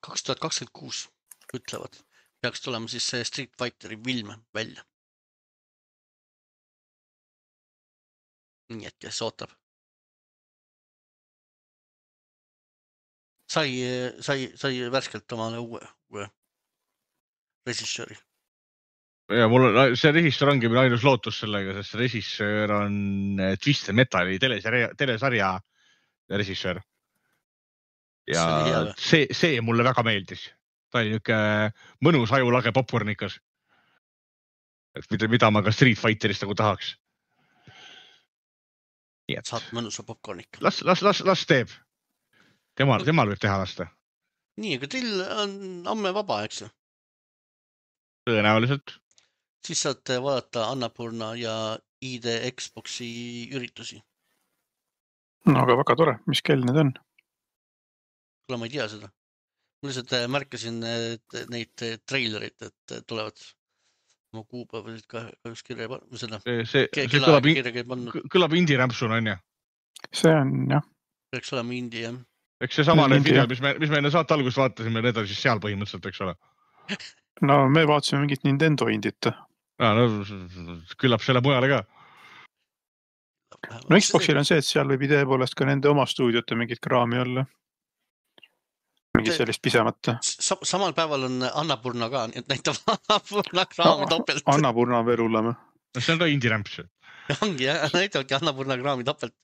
kaks tuhat kakskümmend kuus ütlevad. Peaks tulema siis see Street Fighteri film välja. Nii et kes ootab. Sai, sai, sai värskelt omale uue, uue resissööri. Ja mul on, see resissöör ongi meil ainus lootus sellega, sest resissöör on Twisted Metali telesarja, telesarja resissöör. Ja see, see mulle väga meeldis. Ta oli niuke mõnus ajulage popcornikas. Et mida, mida ma ka Street Fighterist nagu tahaks. Et... Saad mõnusa popcornika. Las, las, las, las teeb. Temal, temal võib teha lasta. Nii, aga teil on amme vaba, eks? Tõenäoliselt. Siis saate vaadata Annapurna ja I D Xboxi üritusi. No aga väga tore, mis kell need on? Kuule, ma ei tea seda. Ma lihtsalt märkasin neid treilerit, et tulevad oma kuupäevasid ka üks kirja seda. See, see, see kõlab, in, kõlab indie-rämpsuna, on ja? See on, jah. Peaks olema indie, jah. Eks see sama need videod, mis me, mis me enne saate algust vaatasime, need on siis seal põhimõtteliselt, eks ole. No me vaatasime mingit Nintendo indit. No, no, küllap selle mujale ka. No Xboxil on see, et seal võib idee poolest ka nende oma stuudiote mingit kraami olla. Mingit sellist pisemata. Samal päeval on Annapurna ka, nii et näitab Annapurna kraami topelt. Annapurna on veel hullem. No see on ka indie-rämps. ongi jah, näitavadki Annapurna kraami topelt.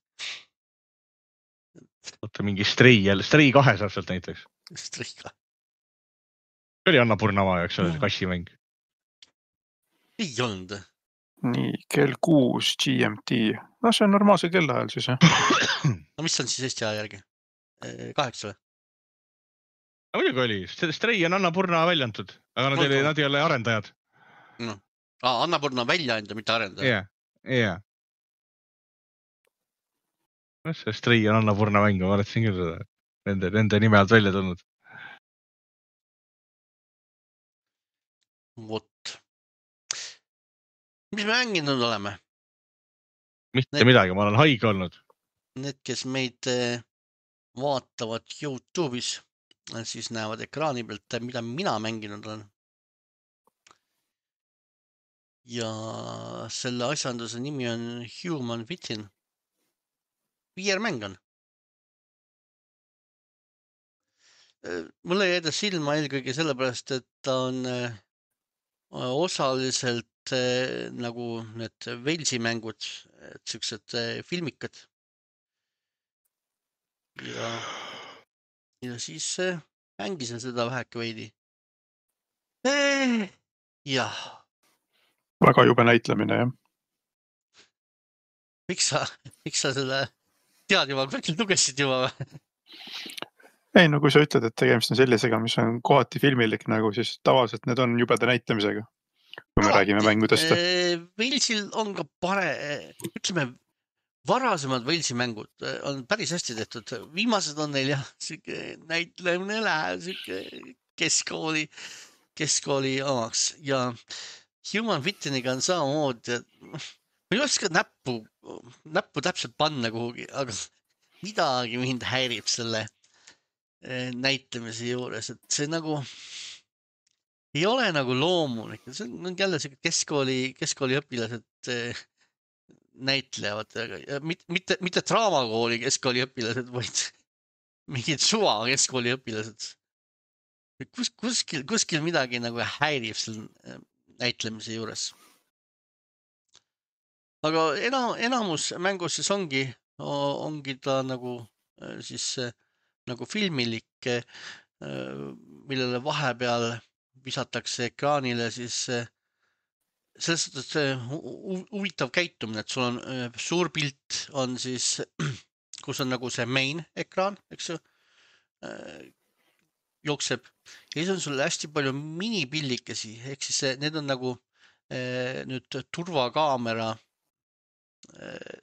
Oota, mingi Stray jälle, Stray kahe saab sealt näiteks. Strika. See oli Annapurna oma, eks ole, see kassimäng. Ei olnud. nii, kell kuus G M T. No see on normaalse kellaajal siis, jah. No mis on siis Eesti aja järgi? Kaheksa või? No, muidugi oli. Stray on Annapurna välja antud, aga nad, oli, nad ei ole arendajad. No. Ah, Annapurna välja anda, mitte arendaja. Jah, jah. See Stray on Annapurna mäng, ma vaatasin küll seda. Nende, nende nime alt välja tulnud. Vot. Mis me mänginud oleme? Mitte need, midagi, ma olen haige olnud. Need, kes meid vaatavad YouTube'is, siis näevad ekraani pealt, mida mina mänginud olen. Ja selle asjanduse nimi on Human Within. V R-mäng on. Mulle jäi ta silma eelkõige sellepärast, et ta on osaliselt nagu need Walesi mängud, et siuksed filmikad. Ja, ja siis mängisin seda väheke veidi. Jah. Väga jube näitlemine, jah. Miks sa, miks sa selle tead juba, kõikilt lugesid juba või? Ei, no kui sa ütled, et tegemist on sellisega, mis on kohati filmilik nagu, siis tavaliselt need on jubeda näitlemisega, kui me no, räägime mängudest. Walesil on ka pare, ütleme, varasemad Walesi mängud on päris hästi tehtud. Viimased on neil jah, siuke näitlemine läheb, siuke keskkooli, keskkooli omaks ja Human Withiniga on samamoodi, ma ei oska näppu, näppu täpselt panna kuhugi, aga midagi mind häirib selle näitlemise juures, et see nagu ei ole nagu loomulik. See on jälle see keskkooli, keskkooli õpilased näitlevad, mitte, mitte, mitte draamakooli keskkooli õpilased, vaid mingid suva keskkooli õpilased. Kus, kuskil, kuskil midagi nagu häirib selle näitlemise juures. Aga enam, enamus mängus siis ongi, ongi ta nagu siis nagu filmilik, millele vahepeal visatakse ekraanile siis selles suhtes huvitav käitumine, et sul on suur pilt on siis, kus on nagu see main ekraan, eks ju, jookseb ja siis on sul hästi palju minipillikesi, ehk siis need on nagu nüüd turvakaamera,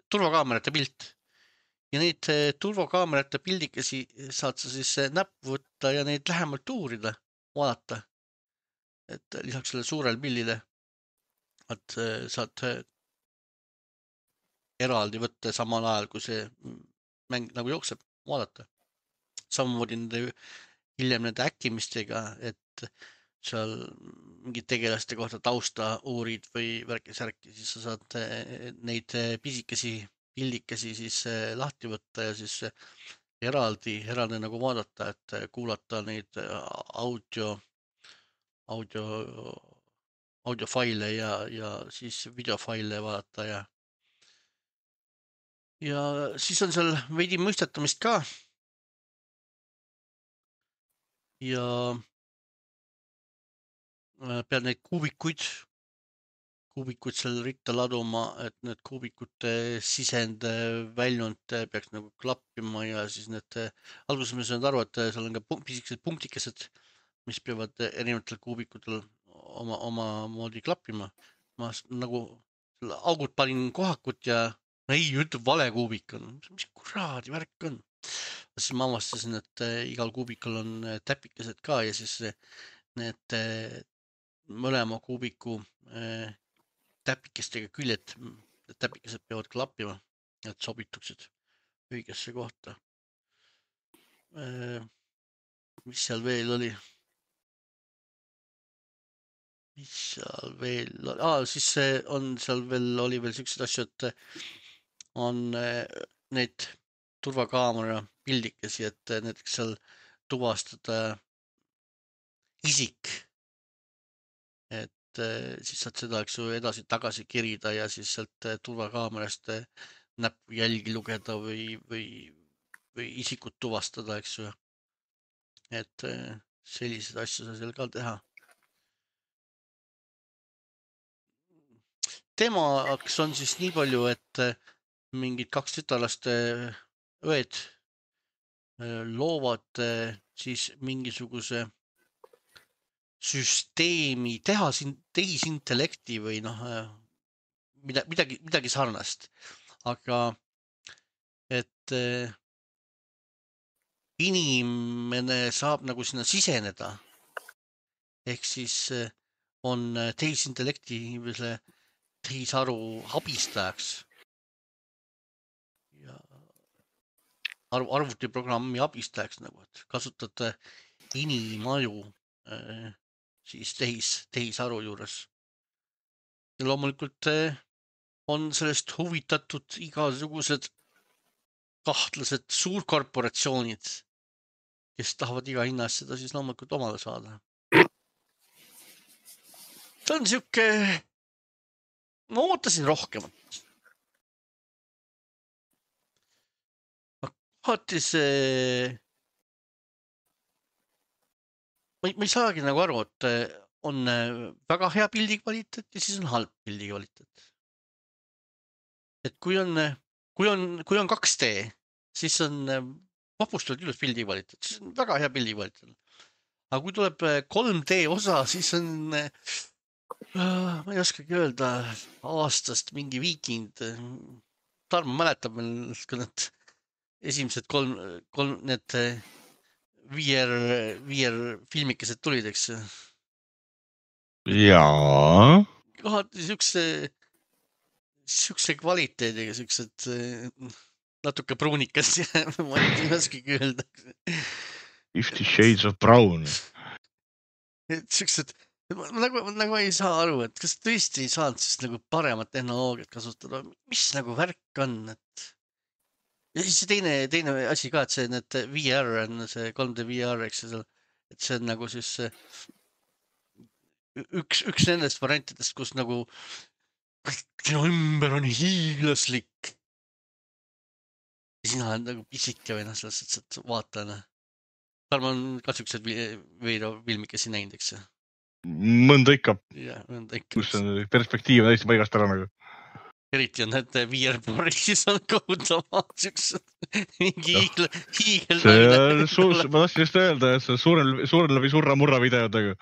turvakaamerate pilt. Ja neid turvakaamerate pildikesi saad sa siis näppu võtta ja neid lähemalt uurida, vaadata. Et lisaks selle suurel pillile, et saad eraldi võtta samal ajal, kui see mäng nagu jookseb, vaadata. Samamoodi nende hiljem nende äkkimistega, et seal mingid tegelaste kohta tausta uurid või värki-särki, siis sa saad neid pisikesi pildikesi siis lahti võtta ja siis eraldi, eraldi nagu vaadata, et kuulata neid audio, audio, audiofaile ja, ja siis videofaile vaadata ja ja siis on seal veidi mõistetamist ka. Ja pead neid kuubikuid kuubikuid seal ritta laduma, et need kuubikute sisend väljund peaks nagu klappima ja siis need, alguses ma sain aru, et seal on ka pisikesed punktikesed, mis peavad erinevatel kuubikutel oma, oma moodi klappima. Ma nagu augud panin kohakut ja ei, ütleb vale kuubik on. Mis kuraadi värk on? Siis ma avastasin, et igal kuubikul on täpikesed ka ja siis need mõlema kuubiku täpikestega küljed, täpikesed peavad klappima, et sobituksid õigesse kohta. Mis seal veel oli? Mis seal veel oli? Ah, siis on seal veel, oli veel sellised asju, et on need turvakaamera pildikesi, et näiteks seal tuvastada isik, et et siis saad seda, eks ju, edasi tagasi kirida ja siis sealt turvakaamerast näppu jälgi lugeda või, või, või isikut tuvastada, eks ju. Et selliseid asju sa seal ka teha. Teemaks on siis nii palju, et mingid kaks tütarlast õed loovad siis mingisuguse süsteemi, teha siin tehisintellekti või noh, mida, midagi, midagi sarnast. Aga et inimene saab nagu sinna siseneda. Ehk siis on tehisintellekti tehisaru abistajaks. Ja arv, arvutiprogrammi abistajaks nagu, et kasutate inimaju siis tehis, tehisaru juures. Ja loomulikult on sellest huvitatud igasugused kahtlased suurkorporatsioonid, kes tahavad iga hinna eest seda siis loomulikult omale saada. See on siuke, ma ootasin rohkemat. Kohati see Ma ei, ma ei saagi nagu aru, et on väga hea pildi kvaliteet ja siis on halb pildi kvaliteet. Et kui on, kui on, kui on kaks D, siis on vapustavalt ilus pildi kvaliteet, siis on väga hea pildi kvaliteet. Aga kui tuleb kolm D osa, siis on, ma ei oskagi öelda, aastast mingi viikind. Tarmo mäletab meil, kui need esimesed kolm, kolm need V R, V R filmikesed tulid, eks. Jaa. Kohati siukse, siukse kvaliteediga, siuksed natuke pruunikas ja ma ei oskagi öelda. Fifty Shades of Brown. Et siuksed, nagu, nagu ei saa aru, et kas tõesti ei saanud siis nagu paremat tehnoloogiat kasutada. Mis nagu värk on, et ja siis see teine, teine asi ka, et see need V R on see kolm D V R, eks see, et see on nagu siis üks, üks nendest variantidest, kus nagu sinu ümber on hiiglaslik. Ja sina on nagu pisike või noh, selles, et vaatajana. Tarmo on ka siuksed veida filmikesi näinud, eks see? Mõnda ikka. Ja, mõnda ikka. Kus on perspektiiv on täiesti paigast ära nagu. Eriti on need V R-pooris on kohutavad siuksed mingi hiigel, hiigel naine. Ma tahtsin just öelda, et see suurel, suurel läbi surra murra videodega.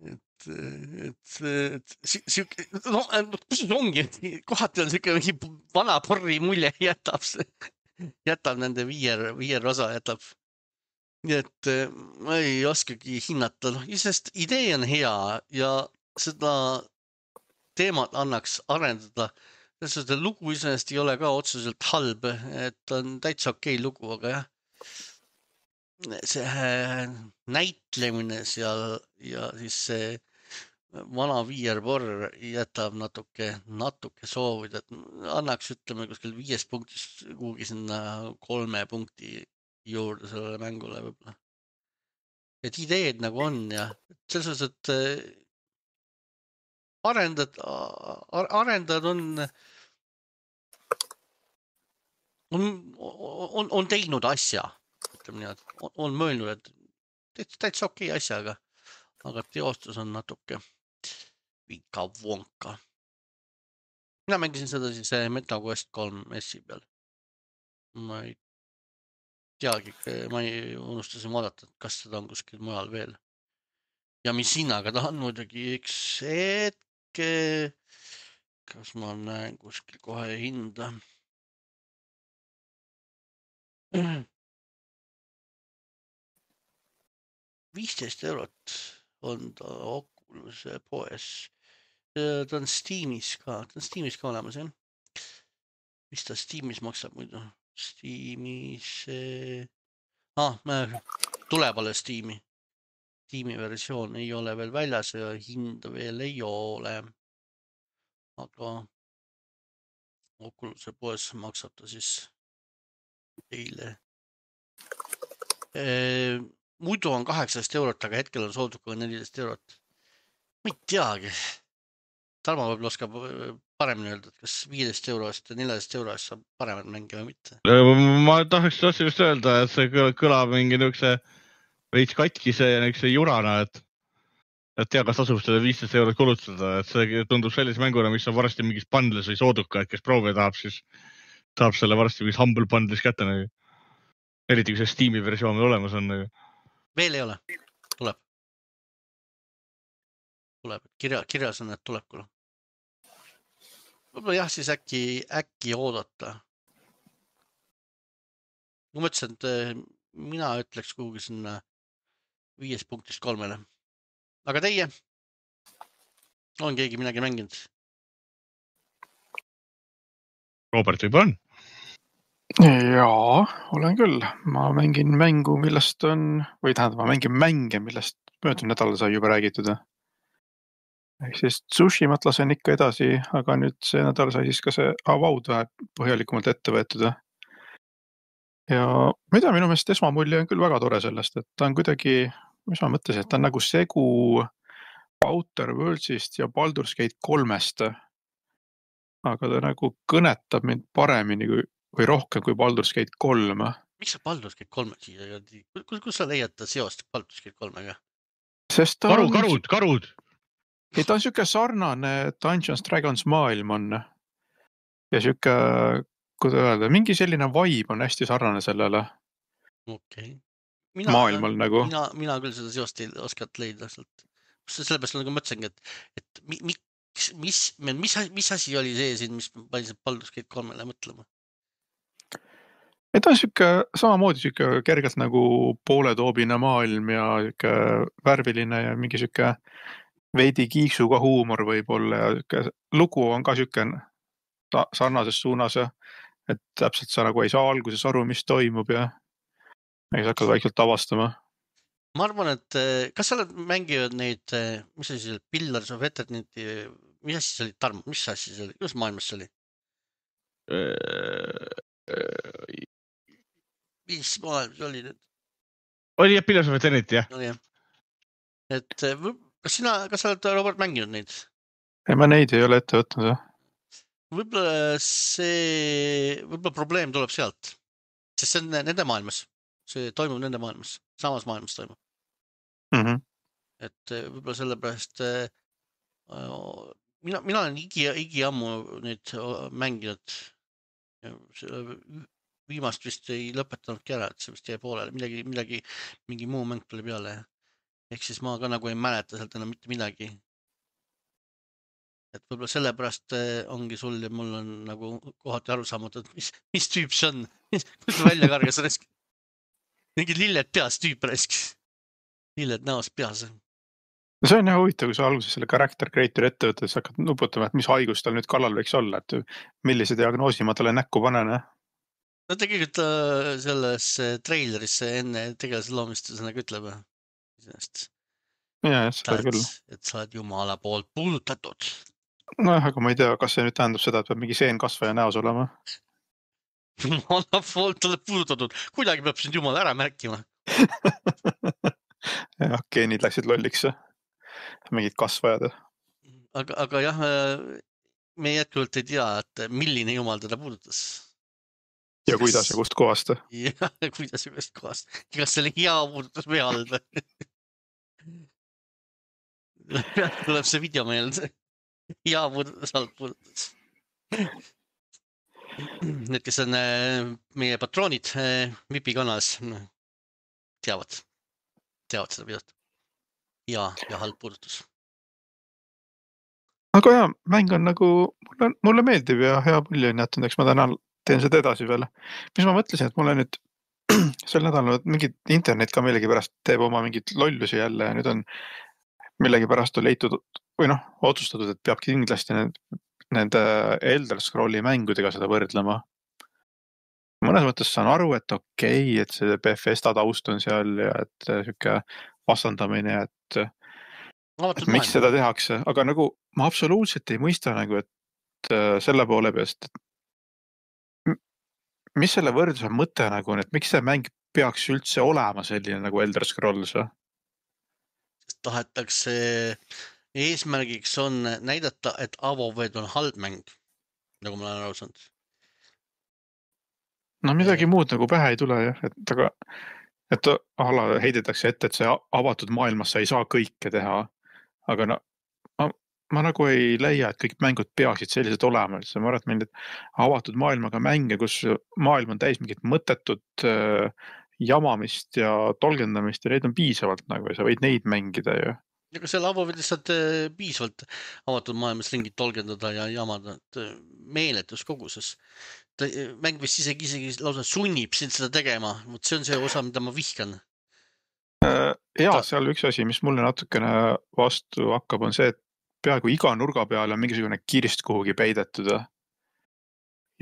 Et, et, et siuke, no kus ongi, kohati on siuke mingi vana porri mulje jätab see, jätab nende V R, V R osa jätab. Nii et ma ei oskagi hinnata, noh, sest idee on hea ja seda teemat annaks arendada. Seda lugu iseenesest ei ole ka otseselt halb, et on täitsa okei lugu, aga jah, see näitlemine seal ja siis see vana V R-porr jätab natuke, natuke soovida, et annaks ütleme kuskil viies punktis kuhugi sinna kolme punkti juurde sellele mängule võib-olla. Et ideed nagu on ja selles suhtes, et Arendad, arendad on, on, on, on teinud asja, ütleme nii, et on mõelnud, et täitsa okei asja, aga, aga teostus on natuke vika vonka. Mina mängisin seda siis MetaQuest kolm S-i peal. Ma ei teagi, ma ei unustasin vaadata, kas seda on kuskil mujal veel. Ja mis hinnaga tahan muidugi üks hetke, kas ma näen kuskil kohe hinda. viisteist eurot on ta Oculus'e poes. Ta on Steamis ka, ta on Steamis ka olemas, jah. Mis ta Steamis maksab muidu? Steamis... Ah, tuleb alles Steami. Steami versioon ei ole veel väljas ja hind veel ei ole. Aga Oculus'e poes maksab ta siis eile. E, muidu on kaheksateist eurot, aga hetkel on soodusega neliteist eurot. ma ei teagi. Tarmo võib oskab paremini öelda, et kas viieteist euro eest ja neljateist euro eest saab paremat mänge või mitte. Ma tahaks tahtsin just öelda, et see kõlab mingi niisuguse veits katkise ja niisuguse jurana, et et tea, kas tasub seda viisteist eurot kulutada, et see tundub sellise mänguna, mis on varsti mingis bundles või sooduka, et kes proovida tahab, siis tahab selle varsti mingis Humble bundles kätte. Nagu. Eriti kui see Steam'i versioon olemas on. Nagu. Veel ei ole. Tuleb. Tuleb. Kirja, kirjas on, et tuleb küll. Võib-olla jah, siis äkki, äkki oodata. Ma mõtlesin, et mina ütleks kuhugi sinna viies punktist kolmele. Aga teie? On keegi midagi mänginud? Robert võib-olla on? Jaa, olen küll. Ma mängin mängu, millest on, või tähendab, ma mängin mänge, millest möödunud nädal sai juba räägitud. Ehk siis Tsushimat lasen ikka edasi, aga nüüd see nädal sai siis ka see Avowed vähe põhjalikumalt ette võetud. Ja ma ei tea, minu meelest esmamulje on küll väga tore sellest, et ta on kuidagi, mis ma mõtlesin, et ta on nagu segu Outer Worldsist ja Baldur's Gate kolmest. Aga ta nagu kõnetab mind paremini kui, või rohkem kui Baldur's Gate kolm. Miks sa Baldur's Gate kolme siia? Kus, kus sa leiad seost Baldur's Gate kolmega? Sest ta Karud, on... karud, karud! Ei, ta on siuke sarnane Dungeons Dragons maailm on. Ja siuke, kuidas öelda, mingi selline vibe on hästi sarnane sellele okay. mina, maailmal nagu. Mina, mina küll seda seost ei oskat leida. Sellepärast nagu mõtlesingi, et, et mi, mis, mis, mis, mis asi oli see siin, mis pani Baldur's Gate kolmele mõtlema? Ei, ta on siuke samamoodi siuke kergelt nagu pooletoobine maailm ja siuke värviline ja mingi siuke veidi kiiksuga huumor võib-olla ja lugu on ka siuke sarnases suunas, et täpselt sa nagu ei saa alguses aru, mis toimub ja sa hakkad vaikselt avastama. Ma arvan, et kas sa oled mänginud neid, mis asi see oli, Pillars of Eternity, mis asi see oli, Tarmo, mis asi see oli, kus maailmas see oli? Mis maailmas oli nüüd? Oli jah, Pillars of Eternity, jah. Oli jah. Et kas sina, kas sa oled, Robert, mänginud neid? Ei, ma neid ei ole ette võtnud. Võib-olla see, võib-olla probleem tuleb sealt, sest see on nende maailmas, see toimub nende maailmas, samas maailmas toimub. Mm-hmm. Et võib-olla sellepärast mina, mina olen igi, igi ammu neid mänginud. Viimast vist ei lõpetanudki ära, et see vist jäi poolele, midagi, midagi, mingi muu mäng tuli peale. Ehk siis ma ka nagu ei mäleta sealt enam mitte midagi. Et võib-olla sellepärast ongi sul ja mul on nagu kohati aru saamata, et mis, mis tüüp see on, kus välja kargas resk. Mingi lilled peas tüüp resk. Lilled näos peas. See on jah huvitav, kui sa alguses selle character creator ette võtad, siis hakkad nuputama, et mis haigus tal nüüd kallal võiks olla, et millise diagnoosi ma talle näkku panen. No tegelikult selles trailerisse enne tegelase loomist see nagu ütleb. Ja, seda küll. Et sa oled jumala poolt puudutatud. No aga ma ei tea, kas see nüüd tähendab seda, et peab mingi seenkasvaja näos olema? Jumala poolt oled puudutatud. Kuidagi peab sind jumal ära märkima. Ja, geenid läksid lolliks. Mingid kasvajad. Aga, aga jah, me jätkuvalt ei tea, et milline jumal teda puudutas. Ja kuidas ja kust kohast? Ja, kuidas ja kust kohast. Kas see oli hea puudutas või halb? Tuleb see video meelde. Hea puudutas, halb puudutas. Need, kes on meie patroonid Vipi kanalis, teavad, teavad seda videot. Ja, ja halb puudutus. Aga jah, mäng on nagu, mulle, mulle meeldib ja hea mulje on jätnud, eks ma täna teen seda edasi veel. Mis ma mõtlesin, et mulle nüüd sel nädalal mingid internet ka millegi pärast teeb oma mingid lollusi jälle ja nüüd on millegi pärast on leitud või noh, otsustatud, et peabki kindlasti need, nende Elder Scrolli mängudega seda võrdlema. Mõnes mõttes saan aru, et okei, et see Bethesda taust on seal ja et siuke vastandamine, et, et miks seda tehakse, aga nagu ma absoluutselt ei mõista nagu, et selle poole peast, mis selle võrdluse mõte nagu on, et miks see mäng peaks üldse olema selline nagu Elder Scrolls? Tahetakse eesmärgiks on näidata, et Avoved on halb mäng, nagu ma olen aru saanud. No midagi muud nagu pähe ei tule jah, et aga et ala heidetakse ette, et see avatud maailmas sa ei saa kõike teha. Aga no ma, ma nagu ei leia, et kõik mängud peaksid sellised olema. Ma arvan, et meil need avatud maailmaga mänge, kus maailm on täis mingit mõttetut äh, jamamist ja tolgendamist ja neid on piisavalt nagu ja sa võid neid mängida ju. Aga seal Avovedis saad äh, piisavalt avatud maailmas ringid tolgendada ja jamada äh, meeletus koguses. Ta, mäng vist isegi, isegi lausa sunnib sind seda tegema. See on see osa, mida ma vihkan. Ja seal üks asi, mis mulle natukene vastu hakkab, on see, et peaaegu iga nurga peale on mingisugune kirst kuhugi peidetud.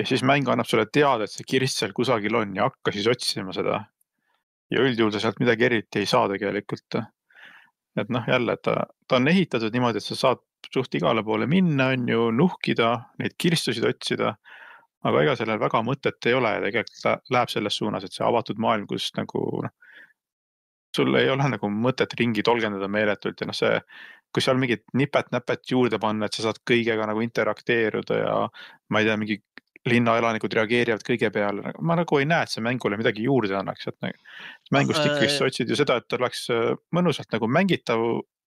Ja siis mäng annab sulle teada, et see kirst seal kusagil on ja hakka siis otsima seda. Ja üldjuhul sealt midagi eriti ei saa tegelikult. Et noh, jälle, ta, ta on ehitatud niimoodi, et sa saad suht igale poole minna, on ju, nuhkida, neid kirstusid otsida, aga ega sellel väga mõtet ei ole ja tegelikult läheb selles suunas, et see avatud maailm, kus nagu noh, sul ei ole nagu mõtet ringi tolgendada meeletult ja noh see, kui seal mingit nipet-näpet juurde panna, et sa saad kõigega nagu interakteeruda ja ma ei tea, mingi linnaelanikud reageerivad kõige peale. Ma nagu ei näe, et see mängule midagi juurde annaks. Et nagu, mängust ikkagi sa otsid ju seda, et oleks mõnusalt nagu mängitav,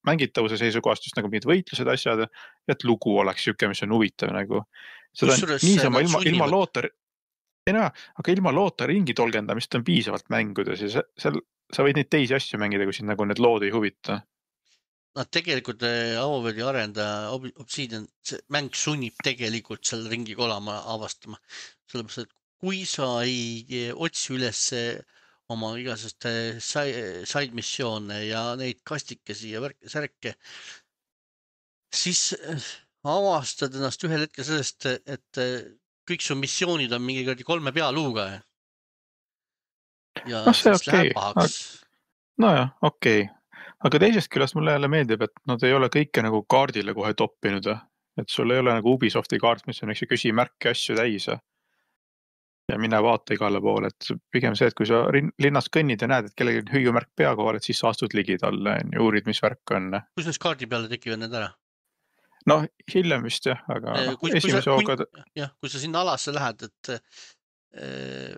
mängitavuse seisukohast just nagu mingid võitlused asjad, et lugu oleks siuke, mis on huvitav nagu. Seda on niisama ilma, ilma loota, ei näe, aga ilma loota ringi tolgendamist on piisavalt mängudes ja seal sa võid neid teisi asju mängida, kui sind nagu need lood ei huvita. No tegelikult Avovedi arendaja Obsidian, see mäng sunnib tegelikult selle ringi kolama avastama. Sellepärast, et kui sa ei otsi üles oma igasest side missioone ja neid kastikesi ja särke, siis avastad ennast ühel hetkel sellest, et kõik su missioonid on mingi kolme pealuuga. Ja no see siis okay. läheb pahaks. No jah, okei. Okay. Aga teisest küljest mulle jälle meeldib, et nad ei ole kõike nagu kaardile kohe toppinud. Et sul ei ole nagu Ubisofti kaart, mis on üks küsimärke asju täis. Ja mine vaata igale poole, et pigem see, et kui sa linnas kõnnid ja näed, et kellegi hüüumärk pea kohal, et siis sa astud ligi talle ja uurid, mis värk on. Kus need kaardi peale tekivad need ära? No hiljem vist jah, aga no, kui, esimese kui sa, hooga... Jah, kui sa sinna alasse lähed, et äh,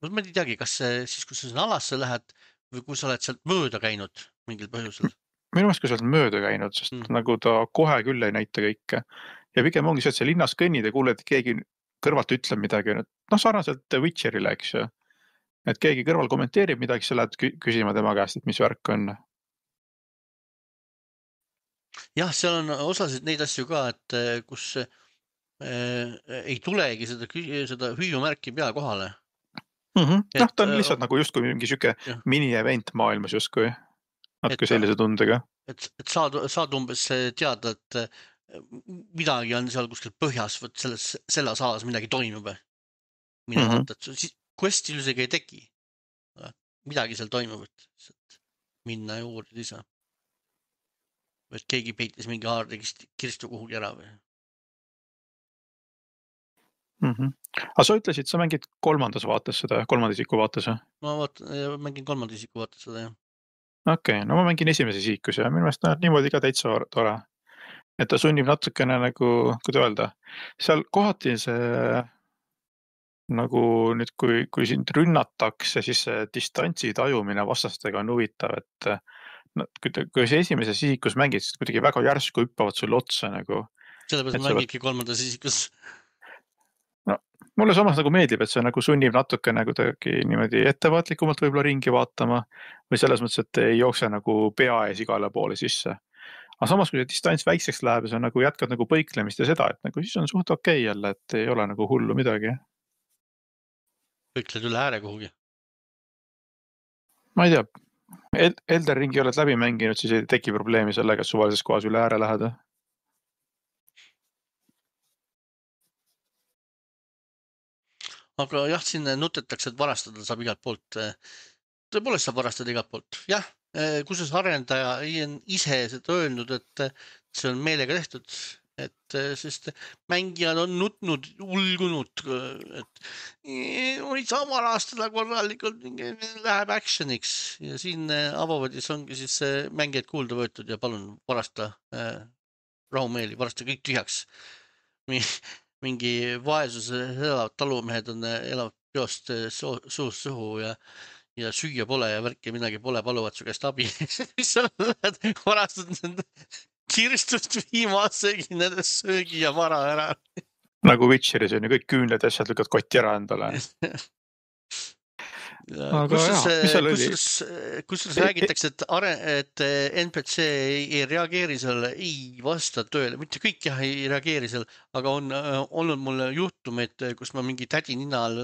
ma ei teagi, kas siis, kui sa sinna alasse lähed või kui sa oled sealt mööda käinud mingil põhjusel? Minu meelest, kui sa oled mööda käinud, sest mm. nagu ta kohe küll ei näita kõike. Ja pigem ongi see, et see linnas kõnnid ja kuuled, et keegi kõrvalt ütleb midagi. No sarnaselt Witcherile, eks ju. Et keegi kõrval kommenteerib midagi, sa lähed küsima tema käest, et mis värk on. Jah, seal on osasid neid asju ka, et kus äh, ei tulegi seda, seda hüüumärki pea kohale. Mm-hmm. Et, noh, ta on lihtsalt äh, nagu justkui mingi süke mini-event maailmas justkui. Natuke sellise tundega. Et, et saad, saad umbes teada, et midagi on seal kuskil põhjas, võt selles, selles alas midagi toimub. Mine mm-hmm. vaata, et siis quest ilusega ei teki. Midagi seal toimub, et minna ja uurida ise. Et keegi peitis mingi haarde kirstu kuhugi ära või? Mm-hmm. Aga sa ütlesid, sa mängid kolmandas vaates seda, kolmandisiku vaates? Ma vaat, mängin kolmandisiku vaates seda, jah. Okei, okay, no ma mängin esimese isikus ja minu meelest näed niimoodi ka täitsa tore. Et ta sunnib natukene nagu, kuidas öelda, seal kohati see nagu nüüd, kui, kui sind rünnatakse, siis see distantsi tajumine vastastega on huvitav, et no, kui, kui see esimeses isikus mängid, siis kuidagi väga järsku hüppavad sulle otsa nagu. Sellepärast ma mängidki kolmandas isikus. No, mulle samas nagu meeldib, et see nagu sunnib natuke nagu tõegi niimoodi ettevaatlikumalt võib-olla ringi vaatama või selles mõttes, et ei jookse nagu pea ees igale poole sisse. Aga samas, kui see distants väikseks läheb ja sa nagu jätkad nagu põiklemist ja seda, et nagu siis on suht okei jälle, et ei ole nagu hullu midagi. Põikled üle ääre kuhugi? Ma ei tea, Elder Ringi oled läbi mänginud, siis ei teki probleemi sellega, et suvalises kohas üle ääre lähed. Aga jah, siin nutetakse, et varastada saab igalt poolt. Tõepoolest saab varastada igalt poolt. Jah, kusjuures arendaja on ise seda öelnud, et see on meelega tehtud, et sest mängijad on nutnud, ulgunud, et võid sa varastada korralikult, läheb actioniks ja siin Avovedis ongi siis mängijaid kuulda võetud ja palun varasta rahumeeli, varsti kõik tühjaks. Mingi vaesuse elavad talumehed on, elavad peost suust suhu ja, ja süüa pole ja värki midagi pole, paluvad su käest abi. Siis sa lähed varastad nende kirstust viimase nende söögi ja vara ära. Nagu Witcheris on ju kõik küünled ja asjad lükkad kotti ära endale. Kusjuures kusjuures räägitakse, et, are, et N P C ei, ei reageeri selle, ei vasta tööle, mitte kõik jah ei reageeri seal, aga on äh, olnud mul juhtumeid, kus ma mingi tädi nina all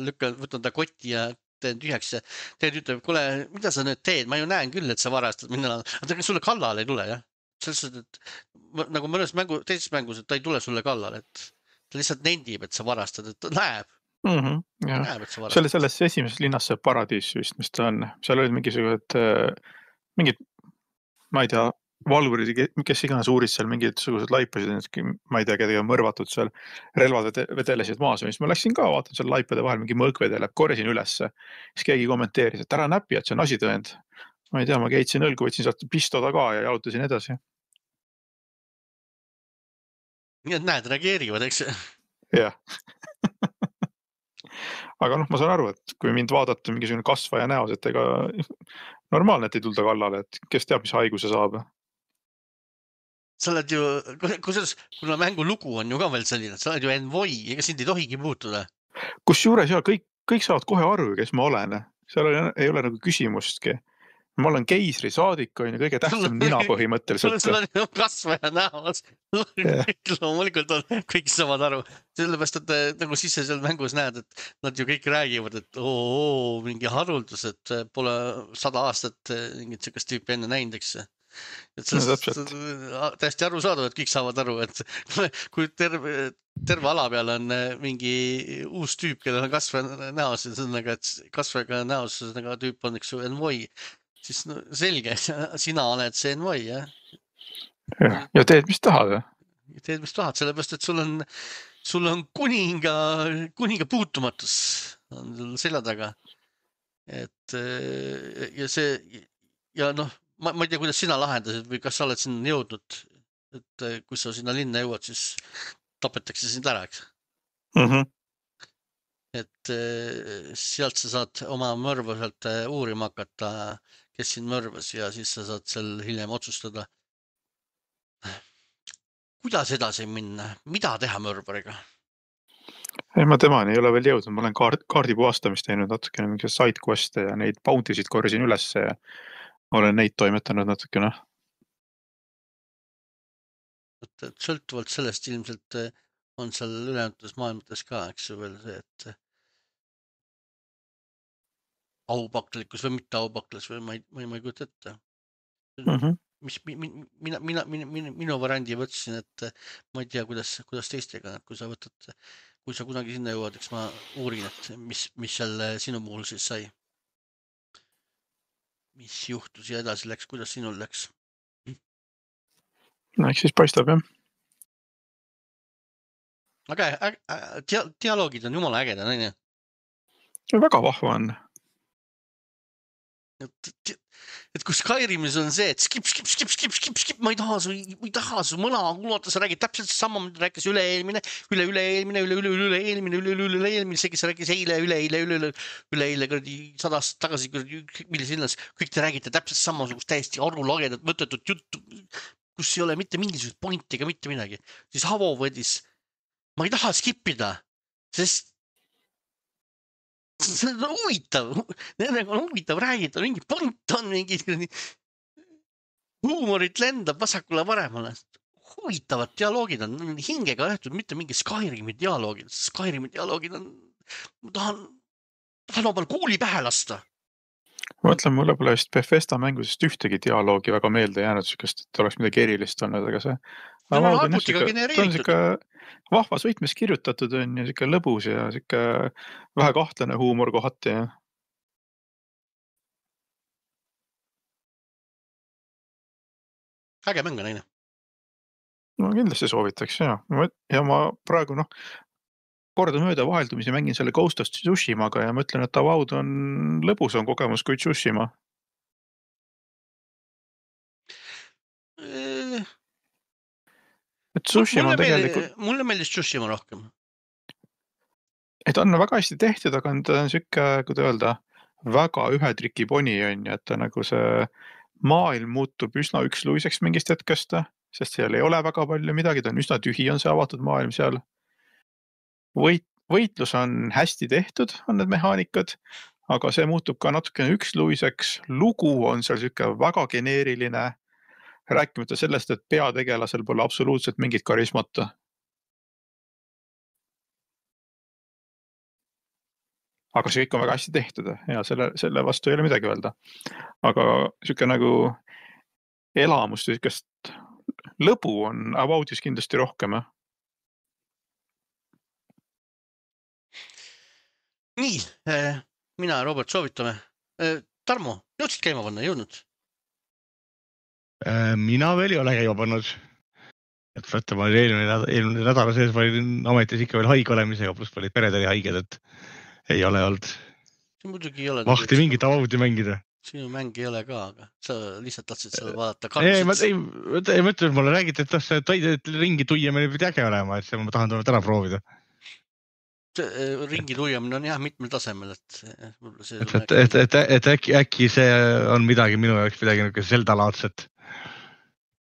lükkan, võtan ta kotti ja teen tühjaks ja teed ütleb, kuule, mida sa nüüd teed, ma ju näen küll, et sa varastad minna, aga sulle kallale ei tule jah. Selles, et nagu mõnes mängu, teises mängus, et ta ei tule sulle kallale, et ta lihtsalt nendib, et sa varastad, et ta näeb. Mm -hmm, näeb, et sa varastad. See oli selles esimeses linnas see paradiis vist, mis ta on. Seal olid mingisugused, mingid, ma ei tea, valvurid, kes iganes uurid seal mingid sugused laipasid, ma ei tea, kedagi on mõrvatud seal, relvad vedelesid maas, mis ma läksin ka, vaatan seal laipade vahel, mingi mõõk vedeleb, korjasin ülesse, siis keegi kommenteeris, et ära näpi, et see on asitõend. Ma ei tea, ma keitsin õlgu, võtsin sealt pistoda ka ja jalutasin edasi. Nii et näed, reageerivad, eks? Jah. Aga noh, ma saan aru, et kui mind vaadata mingisugune kasvaja näos, et ega normaalne, et ei tulda kallale, et kes teab, mis haiguse saab. Sa oled ju, kusjuures, kuna mängu lugu on ju ka veel selline, sa oled ju envoi, ega sind ei tohigi puutuda. Kus juures ja kõik, kõik saavad kohe aru, kes ma olen. Seal ei ole nagu küsimustki. Ma olen keisri saadik, on ju kõige tähtsam nina põhimõtteliselt. Sul on ju kasvaja näos. Loomulikult on, kõik saavad aru. Sellepärast, et nagu sisse seal mängus näed, et nad ju kõik räägivad, et oo, oo mingi haruldus, et pole sada aastat mingit sellist tüüpi enne näinud, eks. Et sellest no, täiesti aru saada, et kõik saavad aru, et kui terve, terve ala peal on mingi uus tüüp, kellel on kasvaja näos, et kasvajaga näos tüüp on üks envoi. Siis no, selge, sina oled see envoi, jah? Ja, ja teed, mis tahad? Teed, mis tahad, sellepärast, et sul on, sul on kuninga, kuninga puutumatus on selja taga. Et ja see, ja noh, ma, ma ei tea, kuidas sina lahendasid või kas sa oled sinna jõudnud, et kui sa sinna linna jõuad, siis tapetakse sind ära, eks? Mhm. Et sealt sa saad oma mõrva sealt uurima hakata, kes sind mõrvas ja siis sa saad seal hiljem otsustada. Kuidas edasi minna? Mida teha mõrvariga? Ei, ma temani ei ole veel jõudnud. Ma olen kaard, kaardi puhastamist teinud natukene mingi side quest'e ja neid bounty'sid korjasin üles ja olen neid toimetanud natukene. Et sõltuvalt sellest ilmselt on seal ülejäänud maailmates ka, eks ju veel see, et aupaklikkus või mitte aupaklis või ma ei, ma ei, ma ei kujuta ette. Mm-hmm. Mis mina, mina, mina, mina, minu variandi võtsin, et ma ei tea, kuidas, kuidas teistega, kui sa võtad, kui sa kunagi sinna jõuad, eks ma uurin, et mis, mis seal sinu puhul siis sai. Mis juhtus ja edasi läks, kuidas sinul läks? No, eks siis paistab, jah. Aga dia, dialoogid on jumala ägeda, näine? Väga vahva on. Et, et kui Skyrimis on see, et skip, skip, skip, skip, skip, skip, ma ei taha su, ma ei taha su mõna kuulata, sa räägid täpselt sama, mida rääkis üle eelmine, üle, üle eelmine, üle, üle, üle eelmine, üle, üle, üle eelmine, see, kes rääkis eile, üle, eile, üle, üle, üle eile, kuradi sada aastat tagasi, milles linnas, kõik te räägite täpselt samasugust täiesti arulagedat, mõttetut juttu, kus ei ole mitte mingisugust pointi ega mitte midagi. Siis Havo võdis, ma ei taha skipida, sest see on huvitav, nendega on huvitav räägida, mingi point on, mingi huumorit lendab vasakule paremale. Huvitavad dialoogid on hingega õhtud, mitte mingi Skyrimi dialoogid. Skyrimi dialoogid on, ma tahan, tahan oma kuuli pähe lasta. Ma mõtlen, mulle pole vist Bethesda mängusest ühtegi dialoogi väga meelde jäänud, et oleks midagi erilist olnud, aga see ta on arvutiga genereeritud. Vahvas võitmes kirjutatud on ja siuke lõbus ja siuke vähe kahtlane huumor kohati. Ja. Äge mäng on aine. No kindlasti soovitaks, ja. Ja ma praegu, noh, korda mööda vaheldumisi mängin selle Ghost of Tsushimaga ja mõtlen, et Avowed on lõbusam kogemus kui Tsushima. et Tsushima mulle, on tegelikult, meeldis, mulle meeldis Tsushima rohkem. et on väga hästi tehtud, aga on ta on siuke, kuidas öelda, väga ühe triki poni on ju, et ta nagu see maailm muutub üsna üksluiseks mingist hetkest, sest seal ei ole väga palju midagi, ta on üsna tühi, on see avatud maailm seal. Võit, võitlus on hästi tehtud, on need mehaanikad, aga see muutub ka natukene üksluiseks. Lugu on seal siuke väga geneeriline, rääkimata sellest, et peategelasel pole absoluutselt mingit karismata. Aga see kõik on väga hästi tehtud ja selle, selle vastu ei ole midagi öelda. Aga siuke nagu elamust, siukest lõbu on Aboutis kindlasti rohkem. Nii, mina ja Robert soovitame. Tarmo, jõudsid käima panna, jõudnud? Mina veel ei ole käima pannud. Et võtta, ma olin eelmine, eelmine nädala sees olin ametis ikka veel haige olemisega, pluss olid pered oli haiged, et ei ole olnud. See muidugi ei ole. Mahti mingit Abouti mängida. Sinu mäng ei ole ka, aga sa lihtsalt tahtsid seda vaadata. Ei, ma ei, ei mõtle, et mulle räägiti, et see toidet ringi tuiamine pidi äge olema, et see ma tahan täna proovida. Ringi tuiamine on jah mitmel tasemel, et... See et, et, et, et äkki, äkki see on midagi minu jaoks midagi nagu Zelda-laadset.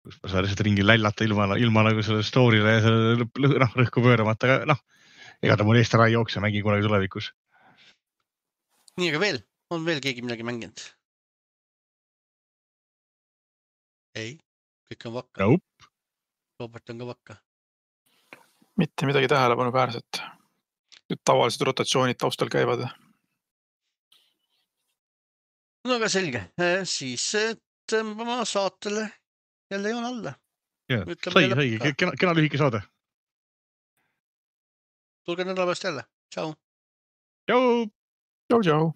Kus ma saan lihtsalt ringi lällata ilma, ilma nagu selle story'le ja selle noh, rõhku pööramata, aga noh, ega ta mul eest ära ei jookse, mängin kunagi tulevikus. Nii, aga veel? On veel keegi midagi mänginud? Ei, kõik on vakka. Nope. Robert on ka vakka. Mitte midagi tähelepanu väärset. Tavalised rotatsioonid taustal käivad. No aga selge. Siis tõmbama saatele jälle joon alla. Ja, sai, sai. Kena, kena lühike saade. Tulge nädala pärast jälle. Tšau. Tšau. Tšau, tšau.